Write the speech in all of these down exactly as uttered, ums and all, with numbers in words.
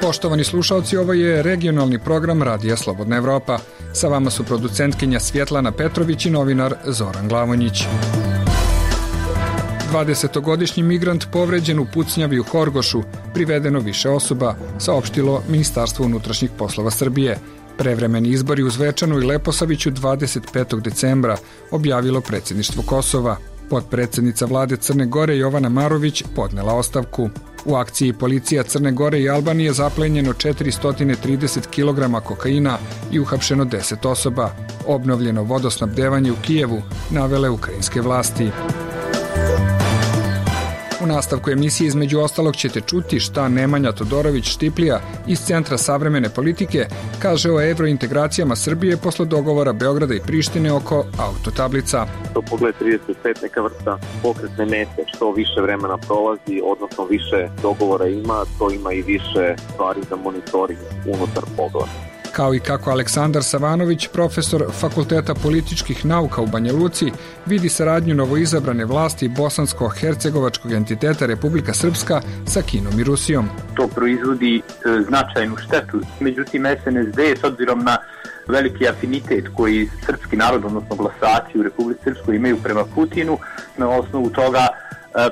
Poštovani slušalci, ovo je regionalni program Radija Slobodna Evropa. Sa vama su producentkinja Svjetlana Petrović i novinar Zoran Glavonjić. dvadesetogodišnji migrant povređen u pucnjavi u Horgošu, privedeno više osoba, saopštilo Ministarstvo unutrašnjih poslova Srbije. Prevremeni izbori u Zvečanu i Leposaviću dvadeset petog decembra objavilo predsjedništvo Kosova. Potpredsjednica vlade Crne Gore Jovana Marović podnela ostavku. U akciji policija Crne Gore i Albanije zaplenjeno četiristo trideset kilograma kokaina i uhapšeno deset osoba. Obnovljeno vodosnabdevanje u Kijevu, navele ukrajinske vlasti. U nastavku emisije između ostalog ćete čuti šta Nemanja Todorović-Štiplija iz Centra savremene politike kaže o evrointegracijama Srbije posle dogovora Beograda i Prištine oko autotablica. To pogled trideset pet neka vrsta pokretne mete, što više vremena prolazi, odnosno više dogovora ima, to ima i više stvari za monitoring unutar pogleda. Kao i kako Aleksandar Savanović, profesor Fakulteta političkih nauka u Banja Luci, vidi saradnju novoizabrane vlasti bosansko-hercegovačkog entiteta Republika Srpska sa Kinom i Rusijom. To proizvodi e, značajnu štetu. Međutim, es en es de, s obzirom na veliki afinitet koji srpski narod, odnosno glasači u Republici Srpskoj imaju prema Putinu, na osnovu toga e,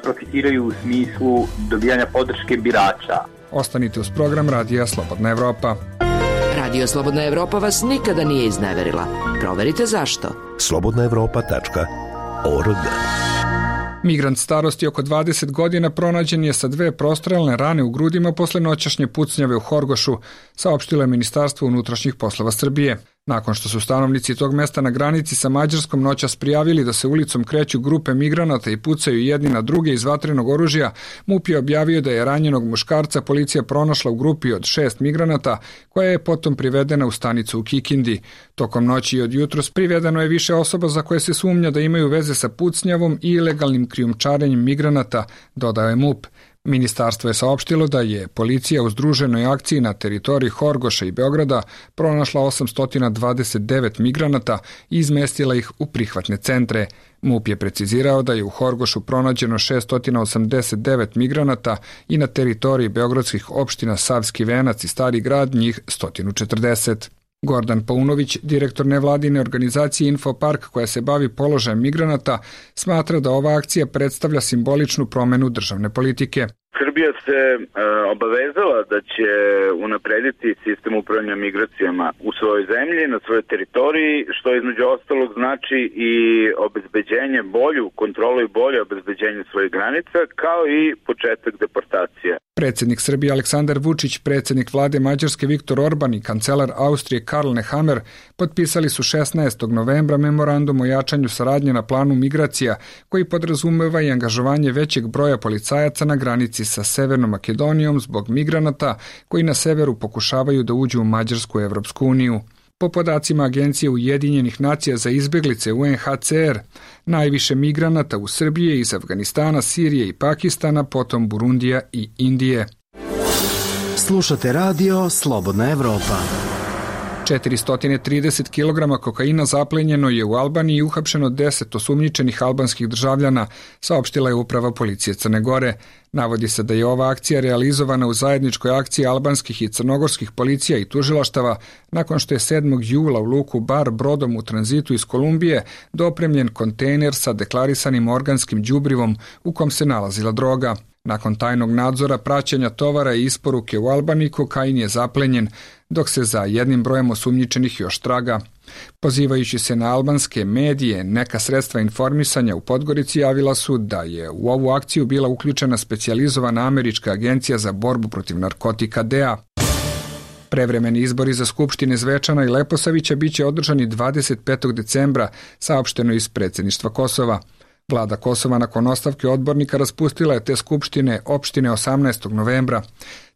profitiraju u smislu dobijanja podrške birača. Ostanite uz program Radija Slobodna Evropa. Radio Slobodna Evropa vas nikada nije izneverila. Proverite zašto. slobodna evropa tačka org. Migrant starosti oko dvadeset godina pronađen je sa dve prostrelne rane u grudima posle noćašnje pucnjave u Horgošu, saopštilo je Ministarstvo unutrašnjih poslova Srbije. Nakon što su stanovnici tog mesta na granici sa Mađarskom noćas prijavili da se ulicom kreću grupe migranata i pucaju jedni na druge iz vatrenog oružja, MUP je objavio da je ranjenog muškarca policija pronašla u grupi od šest migranata, koja je potom privedena u stanicu u Kikindi. Tokom noći i od jutros privedeno je više osoba za koje se sumnja da imaju veze sa pucnjavom i ilegalnim krijumčarenjem migranata, dodao je MUP. Ministarstvo je saopštilo da je policija u združenoj akciji na teritoriji Horgoša i Beograda pronašla osamsto dvadeset devet migranata i izmestila ih u prihvatne centre. MUP je precizirao da je u Horgošu pronađeno šesto osamdeset devet migranata i na teritoriji beogradskih opština Savski Venac i Stari grad njih sto četrdeset. Gordan Paunović, direktor nevladine organizacije Infopark koja se bavi položajem migranata, smatra da ova akcija predstavlja simboličnu promenu državne politike. Srbija se e, obavezala da će unaprediti sistem upravljanja migracijama u svojoj zemlji, na svojoj teritoriji, što između ostalog znači i obezbeđenje bolju, kontrolu i bolje obezbeđenje svojih granica, kao i početak deportacije. Predsjednik Srbije Aleksandar Vučić, predsjednik vlade Mađarske Viktor Orban i kancelar Austrije Karl Nehammer potpisali su šesnaestog novembra memorandum o jačanju saradnje na planu migracija, koji podrazumeva i angažovanje većeg broja policajaca na granici sa Severnom Makedonijom zbog migranata koji na severu pokušavaju da uđu u Mađarsku Evropsku uniju. Po podacima Agencije Ujedinjenih nacija za izbeglice U N H C R, najviše migranata u Srbiji je iz Afganistana, Sirije i Pakistana, potom Burundija i Indije. Slušate radio Slobodna Evropa. četiristo trideset kilograma kokaina zaplenjeno je u Albaniji i uhapšeno deset osumnjičenih albanskih državljana, saopštila je uprava policije Crne Gore. Navodi se da je ova akcija realizovana u zajedničkoj akciji albanskih i crnogorskih policija i tužilaštava, nakon što je sedmog jula u luku Bar brodom u tranzitu iz Kolumbije dopremljen kontejner sa deklarisanim organskim đubrivom u kom se nalazila droga. Nakon tajnog nadzora, praćenja tovara i isporuke u Albaniji, kokain je zaplenjen, dok se za jednim brojem osumnjičenih još traga. Pozivajući se na albanske medije, neka sredstva informisanja u Podgorici javila su da je u ovu akciju bila uključena specijalizovana američka agencija za borbu protiv narkotika D E A. Prevremeni izbori za skupštine Zvečana i Leposavića biće održani dvadeset petog decembra, saopšteno iz predsjedništva Kosova. Vlada Kosova nakon ostavke odbornika raspustila je te skupštine opštine osamnaestog novembra.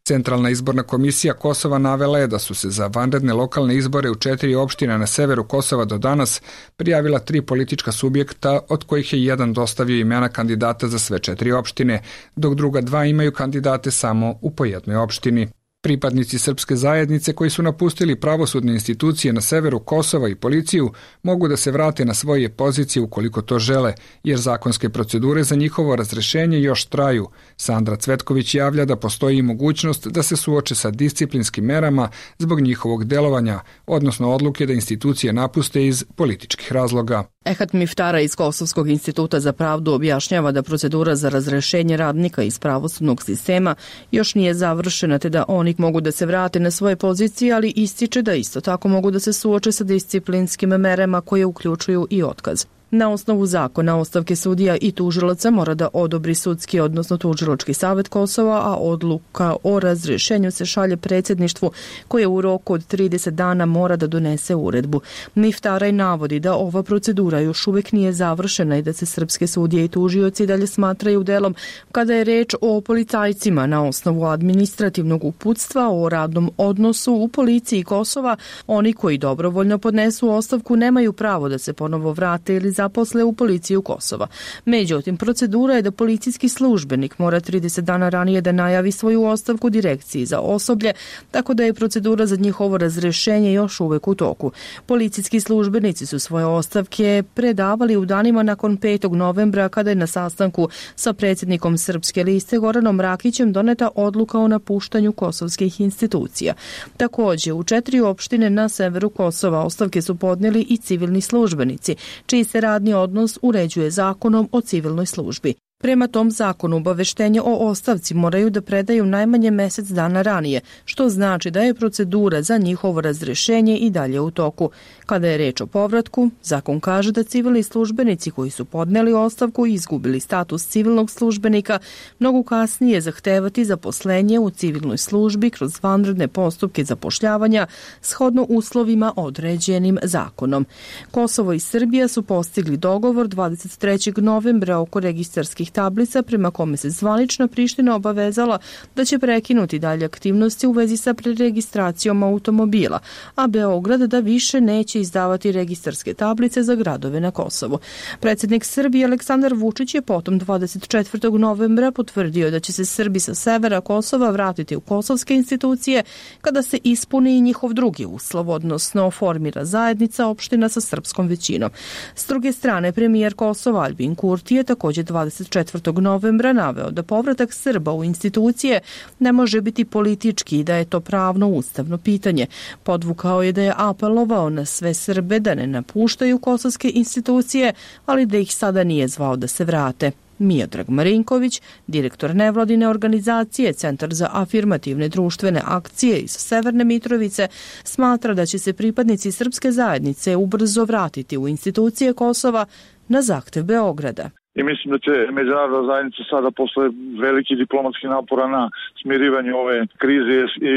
Centralna izborna komisija Kosova navela je da su se za vanredne lokalne izbore u četiri opštine na severu Kosova do danas prijavila tri politička subjekta, od kojih je jedan dostavio imena kandidata za sve četiri opštine, dok druga dva imaju kandidate samo u po jednoj opštini. Pripadnici srpske zajednice koji su napustili pravosudne institucije na severu Kosova i policiju mogu da se vrate na svoje pozicije ukoliko to žele, jer zakonske procedure za njihovo razrešenje još traju. Sandra Cvetković javlja da postoji mogućnost da se suoče sa disciplinskim merama zbog njihovog delovanja, odnosno odluke da institucije napuste iz političkih razloga. Ehat Miftara iz Kosovskog instituta za pravdu objašnjava da procedura za razrešenje radnika iz pravosudnog sistema još nije završena, te da oni mogu da se vrate na svoje pozicije, ali ističe da isto tako mogu da se suoče sa disciplinskim merama koje uključuju i otkaz. Na osnovu zakona ostavke sudija i tužilaca mora da odobri sudski, odnosno tužilački savet Kosova, a odluka o razrješenju se šalje predsjedništvu koje u roku od trideset dana mora da donese uredbu. Miftaraj navodi da ova procedura još uvijek nije završena i da se srpske sudije i tužioci dalje smatraju delom kada je reč o policajcima na osnovu administrativnog uputstva o radnom odnosu u policiji Kosova. Oni koji dobrovoljno podnesu ostavku nemaju pravo da se ponovo vrate ili zaposle u policiju Kosova. Međutim, procedura je da policijski službenik mora trideset dana ranije da najavi svoju ostavku direkciji za osoblje, tako da je procedura za njihovo razrješenje još uvek u toku. Policijski službenici su svoje ostavke predavali u danima nakon petog novembra, kada je na sastanku sa predsjednikom Srpske liste Goranom Rakićem doneta odluka o napuštanju kosovskih institucija. Također, u četiri opštine na severu Kosova ostavke su podnijeli i civilni službenici, čiji se radni odnos uređuje zakonom o civilnoj službi. Prema tom zakonu obaveštenje o ostavci moraju da predaju najmanje mjesec dana ranije, što znači da je procedura za njihovo razrješenje i dalje u toku. Kada je reč o povratku, zakon kaže da civilni službenici koji su podneli ostavku i izgubili status civilnog službenika mogu kasnije zahtevati zaposlenje u civilnoj službi kroz vanredne postupke zapošljavanja shodno uslovima određenim zakonom. Kosovo i Srbija su postigli dogovor dvadeset trećeg novembra oko registarskih tablica prema kome se zvanična Priština obavezala da će prekinuti dalje aktivnosti u vezi sa preregistracijom automobila, a Beograd da više neće izdavati registarske tablice za gradove na Kosovu. Predsjednik Srbije Aleksandar Vučić je potom dvadeset četvrtog novembra potvrdio da će se Srbi sa severa Kosova vratiti u kosovske institucije kada se ispuni i njihov drugi uslov, odnosno formira zajednica opština sa srpskom većinom. S druge strane, premijer Kosova Albin Kurti je također dvadeset četvrtog novembra naveo da povratak Srba u institucije ne može biti politički i da je to pravno ustavno pitanje. Podvukao je da je apelovao na sve Srbe da ne napuštaju kosovske institucije, ali da ih sada nije zvao da se vrate. Miodrag Marinković, direktor nevladine organizacije Centar za afirmativne društvene akcije iz Severne Mitrovice, smatra da će se pripadnici srpske zajednice ubrzo vratiti u institucije Kosova na zahtev Beograda. I mislim da će međunarodna zajednica sada posle veliki diplomatski napora na smirivanju ove krize i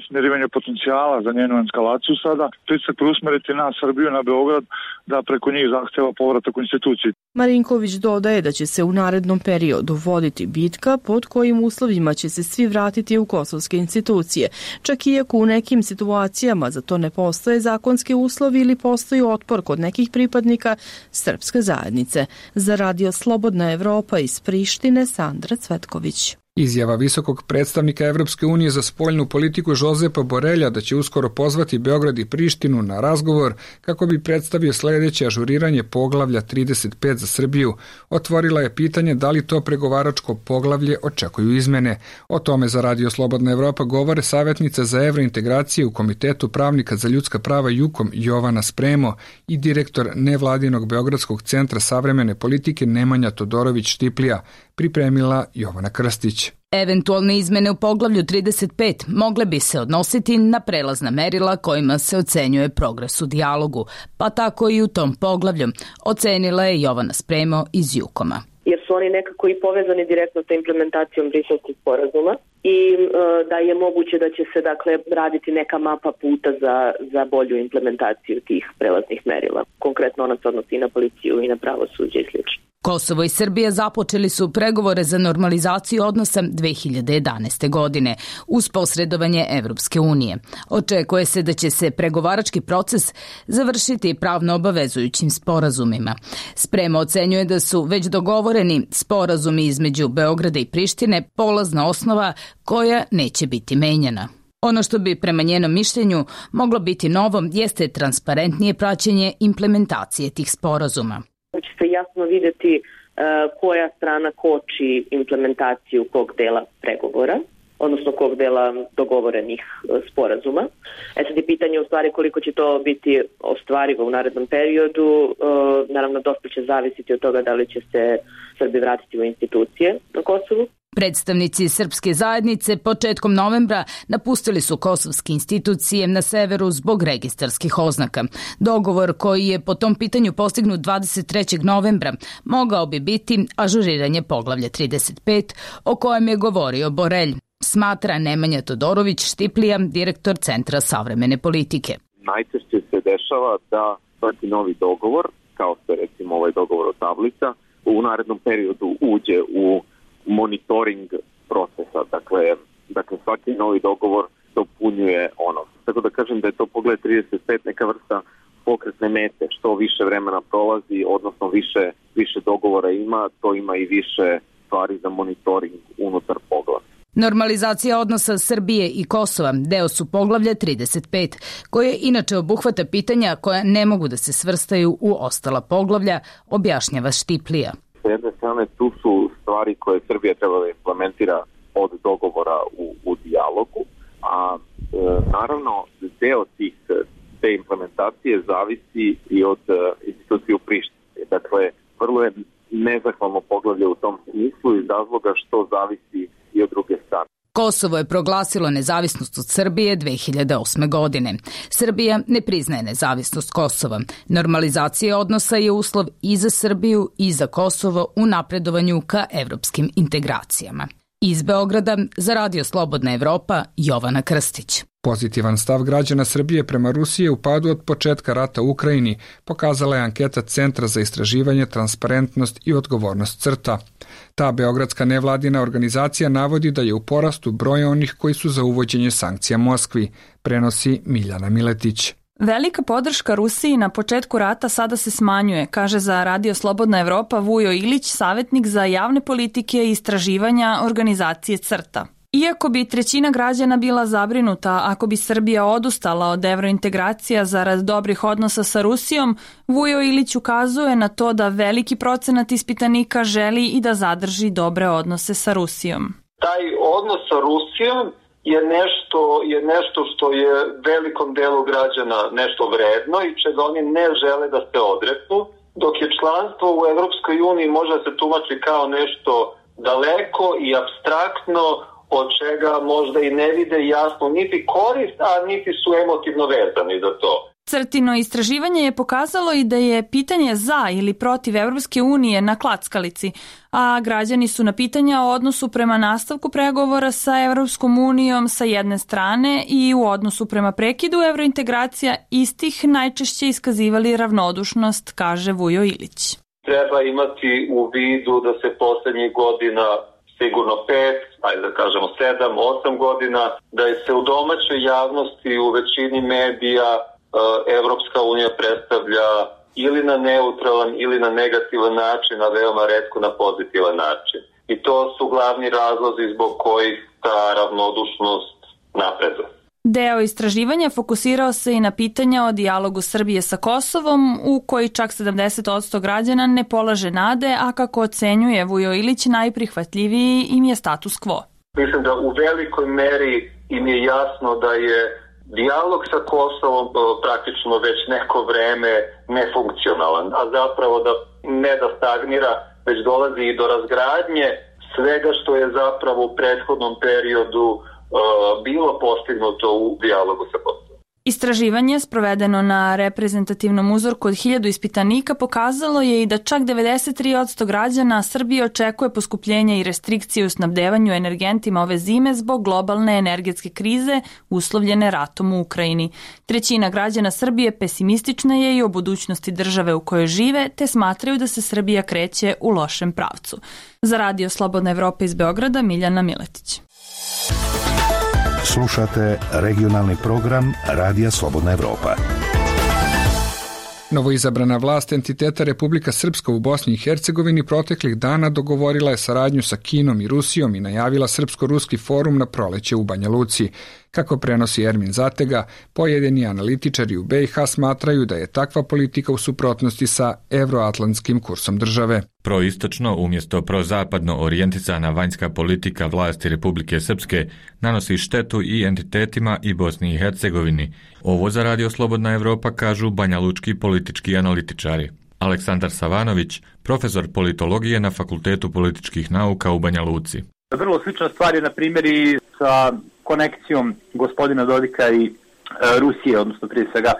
smirivanju potencijala za njenu eskalaciju sada pritisak preusmeriti na Srbiju, na Beograd, da preko njih zahteva povratak u instituciji. Marinković dodaje da će se u narednom periodu voditi bitka pod kojim uslovima će se svi vratiti u kosovske institucije, čak iako u nekim situacijama za to ne postoje zakonski uslovi ili postoji otpor kod nekih pripadnika srpske zajednice. Za radio Slobodna Evropa iz Prištine, Sandra Cvetković. Izjava visokog predstavnika Evropske unije za spoljnu politiku Jozepa Borelja da će uskoro pozvati Beograd i Prištinu na razgovor kako bi predstavio sljedeće ažuriranje poglavlja trideset pet za Srbiju, otvorila je pitanje da li to pregovaračko poglavlje očekuju izmene. O tome za Radio Slobodna Evropa govore savjetnica za evrointegracije u Komitetu pravnika za ljudska prava Jukom Jovana Spremo i direktor nevladinog Beogradskog centra savremene politike Nemanja Todorović-Štiplija, pripremila Jovana Krstić. Eventualne izmene u poglavlju trideset pet mogle bi se odnositi na prelazna merila kojima se ocenjuje progres u dijalogu, pa tako i u tom poglavlju, ocenila je Jovana Spremo iz Jukoma. Jer su oni nekako i povezani direktno sa implementacijom Briselskog sporazuma i e, da je moguće da će se dakle raditi neka mapa puta za, za bolju implementaciju tih prelaznih merila. Konkretno ona se odnosi i na policiju i na pravosuđe i slično. Kosovo i Srbija započeli su pregovore za normalizaciju odnosa dve hiljade jedanaeste. godine uz posredovanje Evropske unije. Očekuje se da će se pregovarački proces završiti pravno obavezujućim sporazumima. Sprema ocenjuje da su već dogovoreni sporazumi između Beograda i Prištine polazna osnova koja neće biti menjana. Ono što bi prema njenom mišljenju moglo biti novo jeste transparentnije praćenje implementacije tih sporazuma. Će se jasno vidjeti koja strana koči implementaciju kog dela pregovora, odnosno kog dela dogovorenih sporazuma. E sad je pitanje u stvari koliko će to biti ostvarivo u narednom periodu. Naravno, dosta će zavisiti od toga da li će se Srbi vratiti u institucije na Kosovu. Predstavnici srpske zajednice početkom novembra napustili su kosovske institucije na severu zbog registarskih oznaka. Dogovor koji je po tom pitanju postignut dvadeset trećeg novembra mogao bi biti ažuriranje poglavlja trideset pet o kojem je govorio Borelj, smatra Nemanja Todorović Štiplija, direktor Centra savremene politike. Najčešće se dešava da svaki novi dogovor, kao što je recimo ovaj dogovor o tablica, u narednom periodu uđe u monitoring procesa, dakle, dakle svaki novi dogovor dopunjuje ono. Tako da kažem da je to pogled trideset pet neka vrsta pokretne mete, što više vremena prolazi, odnosno više, više dogovora ima, to ima i više stvari za monitoring unutar poglavlja. Normalizacija odnosa Srbije i Kosova deo su poglavlja trideset pet, koje inače obuhvata pitanja koja ne mogu da se svrstaju u ostala poglavlja, objašnjava Štiplija. S jedne strane tu su stvari koje Srbija treba da implementira od dogovora u, u dijalogu, a e, naravno deo tih, te implementacije zavisi i od e, institucije u Prištini. Dakle, vrlo je nezahvalno poglavlje u tom smislu iz razloga što zavisi i od druge strane. Kosovo je proglasilo nezavisnost od Srbije dve hiljade osme. godine. Srbija ne priznaje nezavisnost Kosova. Normalizacija odnosa je uslov i za Srbiju i za Kosovo u napredovanju ka evropskim integracijama. Iz Beograda za Radio Slobodna Evropa, Jovana Krstić. Pozitivan stav građana Srbije prema Rusiji je u padu od početka rata u Ukrajini, pokazala je anketa Centra za istraživanje, transparentnost i odgovornost CRTA. Ta beogradska nevladina organizacija navodi da je u porastu broj onih koji su za uvođenje sankcija Moskvi, prenosi Miljana Miletić. Velika podrška Rusiji na početku rata sada se smanjuje, kaže za Radio Slobodna Evropa Vujo Ilić, savjetnik za javne politike i istraživanja organizacije CRTA. Iako bi trećina građana bila zabrinuta ako bi Srbija odustala od evrointegracija zarad dobrih odnosa sa Rusijom, Vujo Ilić ukazuje na to da veliki procenat ispitanika želi i da zadrži dobre odnose sa Rusijom. Taj odnos sa Rusijom je nešto, je nešto što je velikom delu građana nešto vredno i čega oni ne žele da se odreknu, dok je članstvo u Evropskoj uniji može da se tumači kao nešto daleko i apstraktno, od čega možda i ne vide jasno niti korist, a niti su emotivno vezani za to. Crtino istraživanje je pokazalo i da je pitanje za ili protiv Evropske unije na klackalici, a građani su na pitanja o odnosu prema nastavku pregovora sa Evropskom unijom sa jedne strane i u odnosu prema prekidu evrointegracija istih najčešće iskazivali ravnodušnost, kaže Vujo Ilić. Treba imati u vidu da se poslednjih godina sigurno pet, ajde da kažemo sedam, osam godina, da je se u domaćoj javnosti u većini medija Evropska unija predstavlja ili na neutralan ili na negativan način, a veoma retko na pozitivan način. I to su glavni razlozi zbog kojih ta ravnodušnost napreduje. Deo istraživanja fokusirao se i na pitanja o dijalogu Srbije sa Kosovom, u koji čak sedamdeset posto građana ne polaže nade, a kako ocenjuje Vujo Ilić, najprihvatljiviji im je status quo. Mislim da u velikoj meri im je jasno da je dijalog sa Kosovom praktično već neko vreme nefunkcionalan, a zapravo da ne da stagnira, već dolazi i do razgradnje svega što je zapravo u prethodnom periodu bilo postignuto u dijalogu sa Kosovom. Istraživanje, sprovedeno na reprezentativnom uzorku od hiljadu ispitanika, pokazalo je i da čak devedeset tri posto građana Srbije očekuje poskupljenja i restrikcije u snabdevanju energentima ove zime zbog globalne energetske krize uslovljene ratom u Ukrajini. Trećina građana Srbije pesimistična je i o budućnosti države u kojoj žive, te smatraju da se Srbija kreće u lošem pravcu. Za Radio Slobodna Evropa iz Beograda, Miljana Miletić. Slušate regionalni program Radija Slobodna Evropa. Novoizabrana vlast entiteta Republika Srpska u Bosni i Hercegovini proteklih dana dogovorila je saradnju sa Kinom i Rusijom i najavila Srpsko-ruski forum na proleće u Banja Luci. Kako prenosi Ermin Zatega, pojedini analitičari u B i H smatraju da je takva politika u suprotnosti sa evroatlantskim kursom države. Proistočno umjesto prozapadno orijentisana vanjska politika vlasti Republike Srpske nanosi štetu i entitetima i Bosni i Hercegovini. Ovo za Radio Slobodna Evropa kažu banjalučki politički analitičari. Aleksandar Savanović, profesor politologije na Fakultetu političkih nauka u Banja Luci. Vrlo slična stvar je na primjer i sa konekcijom gospodina Dodika i e, Rusije, odnosno prije svega e,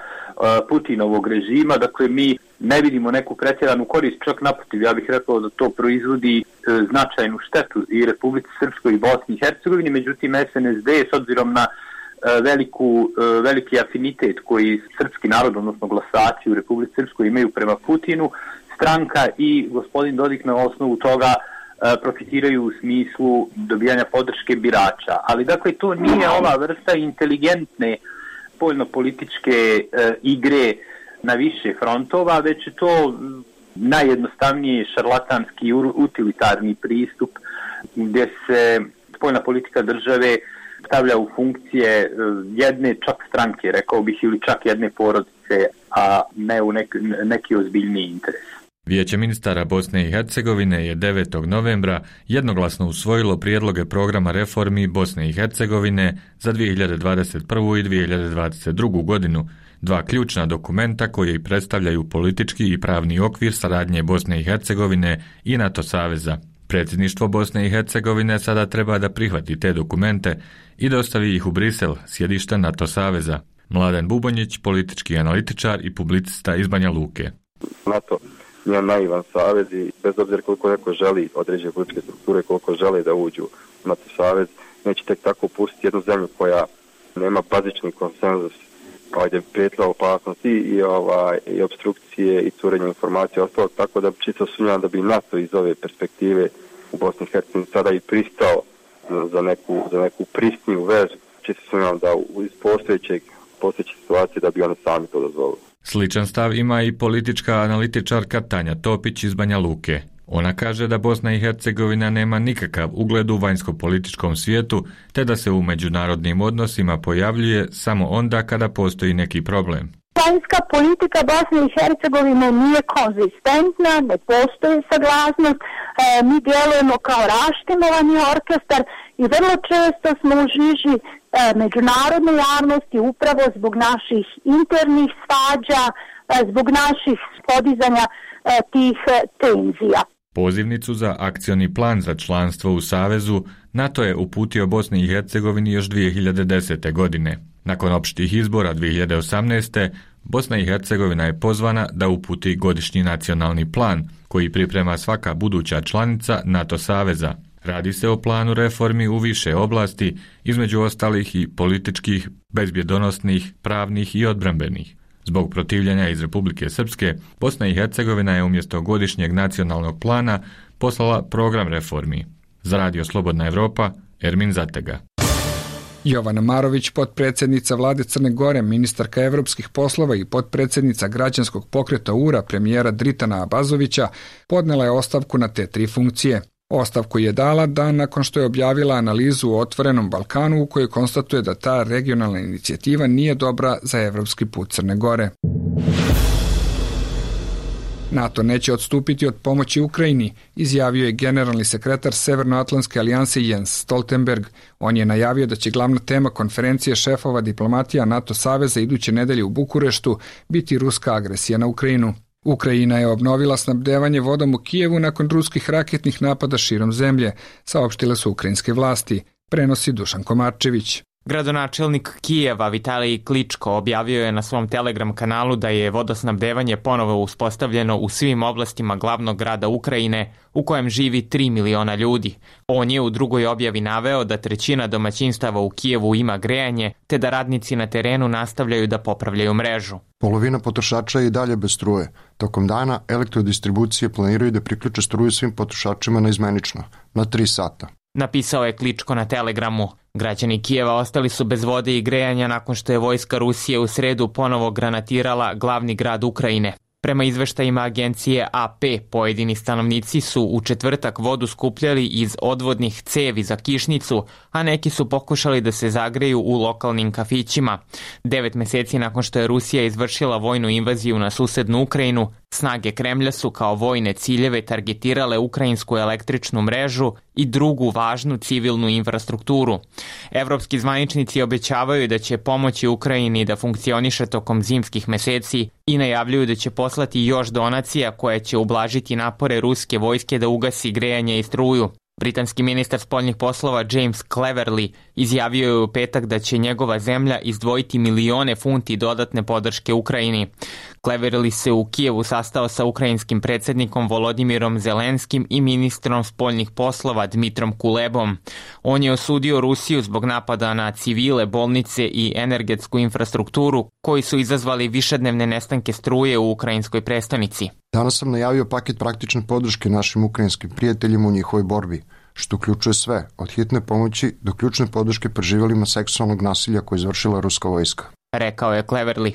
Putinovog režima. Dakle, mi ne vidimo neku pretjeranu korist, čak naprotiv, ja bih rekao da to proizvodi e, značajnu štetu i Republici Srpskoj i Bosni i Hercegovini, međutim S N S D s obzirom na e, veliku, e, veliki afinitet koji srpski narod, odnosno glasači u Republici Srpskoj imaju prema Putinu, stranka i gospodin Dodik na osnovu toga profitiraju u smislu dobijanja podrške birača. Ali dakle to nije ova vrsta inteligentne spoljnopolitičke e, igre na više frontova, već je to najjednostavniji šarlatanski utilitarni pristup gdje se spoljna politika države stavlja u funkcije jedne čak stranke, rekao bih, ili čak jedne porodice, a ne u neki, neki ozbiljniji interes. Vijeće ministara Bosne i Hercegovine je devetog novembra jednoglasno usvojilo prijedloge programa reformi Bosne i Hercegovine za dvije hiljade dvadeset prvu i dvije hiljade dvadeset drugu godinu, dva ključna dokumenta koji predstavljaju politički i pravni okvir saradnje Bosne i Hercegovine i NATO saveza. Predsjedništvo Bosne i Hercegovine sada treba da prihvati te dokumente i dostavi ih u Brisel, sjedište NATO saveza. Mladen Bubonjić, politički analitičar i publicista iz Banja Luke. NATO nije naivan savez i bez obzira koliko neko želi određene političke strukture, koliko žele da uđu u NATO savez, neće tek tako pustiti jednu zemlju koja nema bazični konsenzus, ovdje prijetila opasnosti i, ovaj, i obstrukcije i curenje informacije ostalo, tako da čisto sumnjam da bi NATO iz ove perspektive u Bosni i Hercegovini sada i pristao za neku, za neku pristniju vezu. Čisto sumnjam da iz postojećeg, postojeće situacije da bi oni sami to dozvolili. Sličan stav ima i politička analitičarka Tanja Topić iz Banja Luke. Ona kaže da Bosna i Hercegovina nema nikakav ugled u vanjsko-političkom svijetu, te da se u međunarodnim odnosima pojavljuje samo onda kada postoji neki problem. Vanjska politika Bosne i Hercegovine nije konzistentna, ne postoji saglasnost, e, mi djelujemo kao raštimovani orkestar i vrlo često smo u žiži e, međunarodne javnosti upravo zbog naših internih svađa, e, zbog naših podizanja e, tih e, tenzija. Pozivnicu za akcioni plan za članstvo u Savezu NATO je uputio Bosni i Hercegovini još dvije hiljade desete. godine. Nakon opštih izbora dvije hiljade osamnaeste. Bosna i Hercegovina je pozvana da uputi godišnji nacionalni plan koji priprema svaka buduća članica NATO saveza. Radi se o planu reformi u više oblasti, između ostalih i političkih, bezbjedonosnih, pravnih i odbrambenih. Zbog protivljenja iz Republike Srpske, Bosna i Hercegovina je umjesto godišnjeg nacionalnog plana poslala program reformi. Za Radio Slobodna Evropa, Ermin Zatega. Jovana Marović, potpredsjednica vlade Crne Gore, ministarka evropskih poslova i potpredsjednica građanskog pokreta U R A premijera Dritana Abazovića, podnela je ostavku na te tri funkcije. Ostavku je dala dan nakon što je objavila analizu o Otvorenom Balkanu u kojoj konstatuje da ta regionalna inicijativa nije dobra za evropski put Crne Gore. NATO neće odstupiti od pomoći Ukrajini, izjavio je generalni sekretar Severnoatlantske alijanse Jens Stoltenberg. On je najavio da će glavna tema konferencije šefova diplomatija NATO saveza iduće nedelje u Bukureštu biti ruska agresija na Ukrajinu. Ukrajina je obnovila snabdevanje vodom u Kijevu nakon ruskih raketnih napada širom zemlje, saopštile su ukrajinske vlasti, prenosi Dušan Komarčević. Gradonačelnik Kijeva Vitalij Kličko objavio je na svom Telegram kanalu da je vodosnabdevanje ponovo uspostavljeno u svim oblastima glavnog grada Ukrajine u kojem živi tri miliona ljudi. On je u drugoj objavi naveo da trećina domaćinstava u Kijevu ima grejanje, te da radnici na terenu nastavljaju da popravljaju mrežu. Polovina potrošača je i dalje bez struje. Tokom dana elektrodistribucije planiraju da priključe struju svim potrošačima na izmenično, na tri sata. Napisao je Kličko na Telegramu. Građani Kijeva ostali su bez vode i grejanja nakon što je vojska Rusije u sredu ponovo granatirala glavni grad Ukrajine. Prema izveštajima agencije A P, pojedini stanovnici su u četvrtak vodu skupljali iz odvodnih cevi za kišnicu, a neki su pokušali da se zagreju u lokalnim kafićima. Devet meseci nakon što je Rusija izvršila vojnu invaziju na susednu Ukrajinu, snage Kremlja su kao vojne ciljeve targetirale ukrajinsku električnu mrežu i drugu važnu civilnu infrastrukturu. Evropski zvaničnici obećavaju da će pomoći Ukrajini da funkcioniše tokom zimskih meseci i najavljuju da će poslati još donacija koje će ublažiti napore ruske vojske da ugasi grejanje i struju. Britanski ministar spoljnih poslova James Cleverly izjavio je u petak da će njegova zemlja izdvojiti milione funti dodatne podrške Ukrajini. Cleverly se u Kijevu sastao sa ukrajinskim predsjednikom Volodimirom Zelenskim i ministrom spoljnih poslova Dmitrom Kulebom. On je osudio Rusiju zbog napada na civile, bolnice i energetsku infrastrukturu koji su izazvali višednevne nestanke struje u ukrajinskoj prestonici. Danas sam najavio paket praktične podrške našim ukrajinskim prijateljima u njihovoj borbi, što uključuje sve, od hitne pomoći do ključne podrške preživelima seksualnog nasilja koje je izvršila ruska vojska, rekao je Cleverly.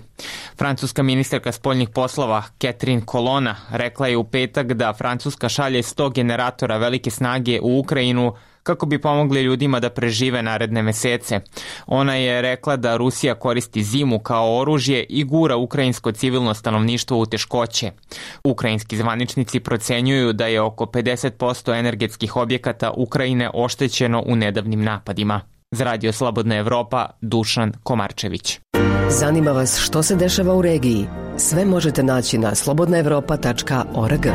Francuska ministarka spoljnih poslova Catherine Colonna rekla je u petak da Francuska šalje sto generatora velike snage u Ukrajinu kako bi pomogli ljudima da prežive naredne mesece. Ona je rekla da Rusija koristi zimu kao oružje i gura ukrajinsko civilno stanovništvo u teškoće. Ukrajinski zvaničnici procenjuju da je oko pedeset posto energetskih objekata Ukrajine oštećeno u nedavnim napadima. Za Radio Slobodna Evropa, Dušan Komarčević. Zanima vas što se dešava u regiji? Sve možete naći na slobodna evropa tačka org.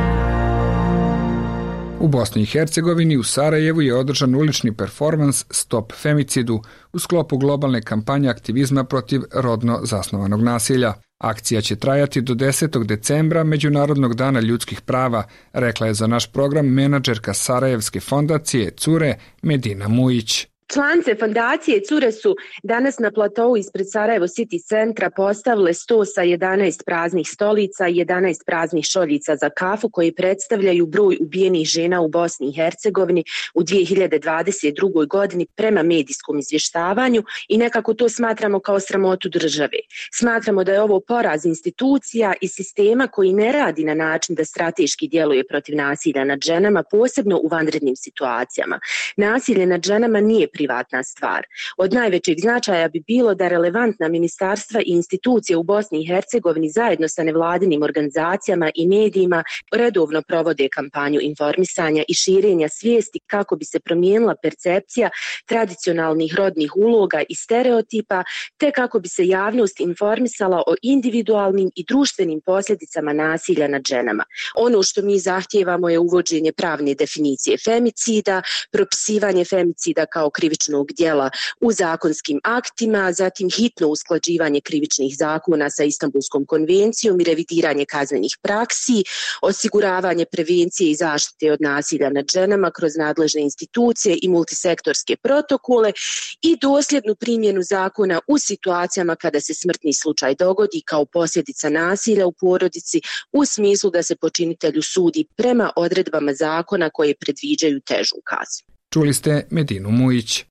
U Bosni i Hercegovini u Sarajevu je održan ulični performans Stop femicidu u sklopu globalne kampanje aktivizma protiv rodno zasnovanog nasilja. Akcija će trajati do desetog decembra, Međunarodnog dana ljudskih prava, rekla je za naš program menadžerka Sarajevske fondacije Cure Medina Mujić. Članice fondacije Cure su danas na platovu ispred Sarajevo City centra postavile sto sa jedanaest praznih stolica i jedanaest praznih šoljica za kafu koji predstavljaju broj ubijenih žena u Bosni i Hercegovini u dvije hiljade dvadeset drugoj. godini prema medijskom izvještavanju i nekako to smatramo kao sramotu države. Smatramo da je ovo poraz institucija i sistema koji ne radi na način da strateški djeluje protiv nasilja nad ženama, posebno u vanrednim situacijama. Nasilje nad ženama nije privatna stvar. Od najvećeg značaja bi bilo da relevantna ministarstva i institucije u Bosni i Hercegovini zajedno sa nevladinim organizacijama i medijima redovno provode kampanju informisanja i širenja svijesti kako bi se promijenila percepcija tradicionalnih rodnih uloga i stereotipa, te kako bi se javnost informisala o individualnim i društvenim posljedicama nasilja nad ženama. Ono što mi zahtijevamo je uvođenje pravne definicije femicida, propisivanje femicida kao krivičnog djela u zakonskim aktima, zatim hitno usklađivanje krivičnih zakona sa Istanbulskom konvencijom i revidiranje kaznenih praksi, osiguravanje prevencije i zaštite od nasilja nad ženama kroz nadležne institucije i multisektorske protokole i dosljednu primjenu zakona u situacijama kada se smrtni slučaj dogodi kao posljedica nasilja u porodici u smislu da se počinitelju sudi prema odredbama zakona koje predviđaju težu kaznu. Čuli ste Medinu Mujić.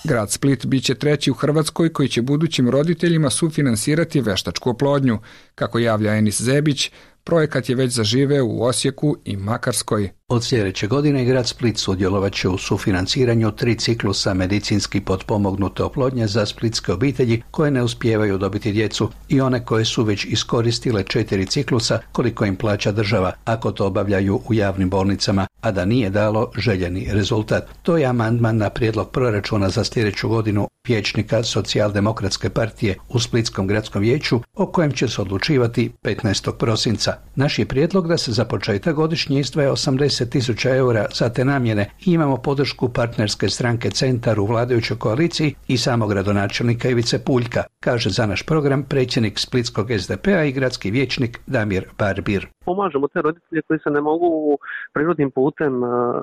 Grad Split biće treći u Hrvatskoj koji će budućim roditeljima sufinansirati veštačku oplodnju. Kako javlja Enis Zebić, projekat je već zaživeo u Osijeku i Makarskoj. Od sljedeće godine grad Split sudjelovat će u sufinanciranju tri ciklusa medicinski potpomognute oplodnje za splitske obitelji koje ne uspijevaju dobiti djecu i one koje su već iskoristile četiri ciklusa koliko im plaća država ako to obavljaju u javnim bolnicama, a da nije dalo željeni rezultat. To je amandman na prijedlog proračuna za sljedeću godinu vijećnika Socijaldemokratske partije u Splitskom gradskom vijeću o kojem će se odlučivati petnaestog prosinca. Naš je prijedlog da se za početak godišnje izdvaja osamdeset tisuća eura za te namjene i imamo podršku partnerske stranke Centar u vladajućoj koaliciji i samog gradonačelnika Ivice Puljka, kaže za naš program predsjednik Splitskog es de pe a i gradski vijećnik Damir Barbir. Pomažemo te roditelje koji se ne mogu prirodnim putem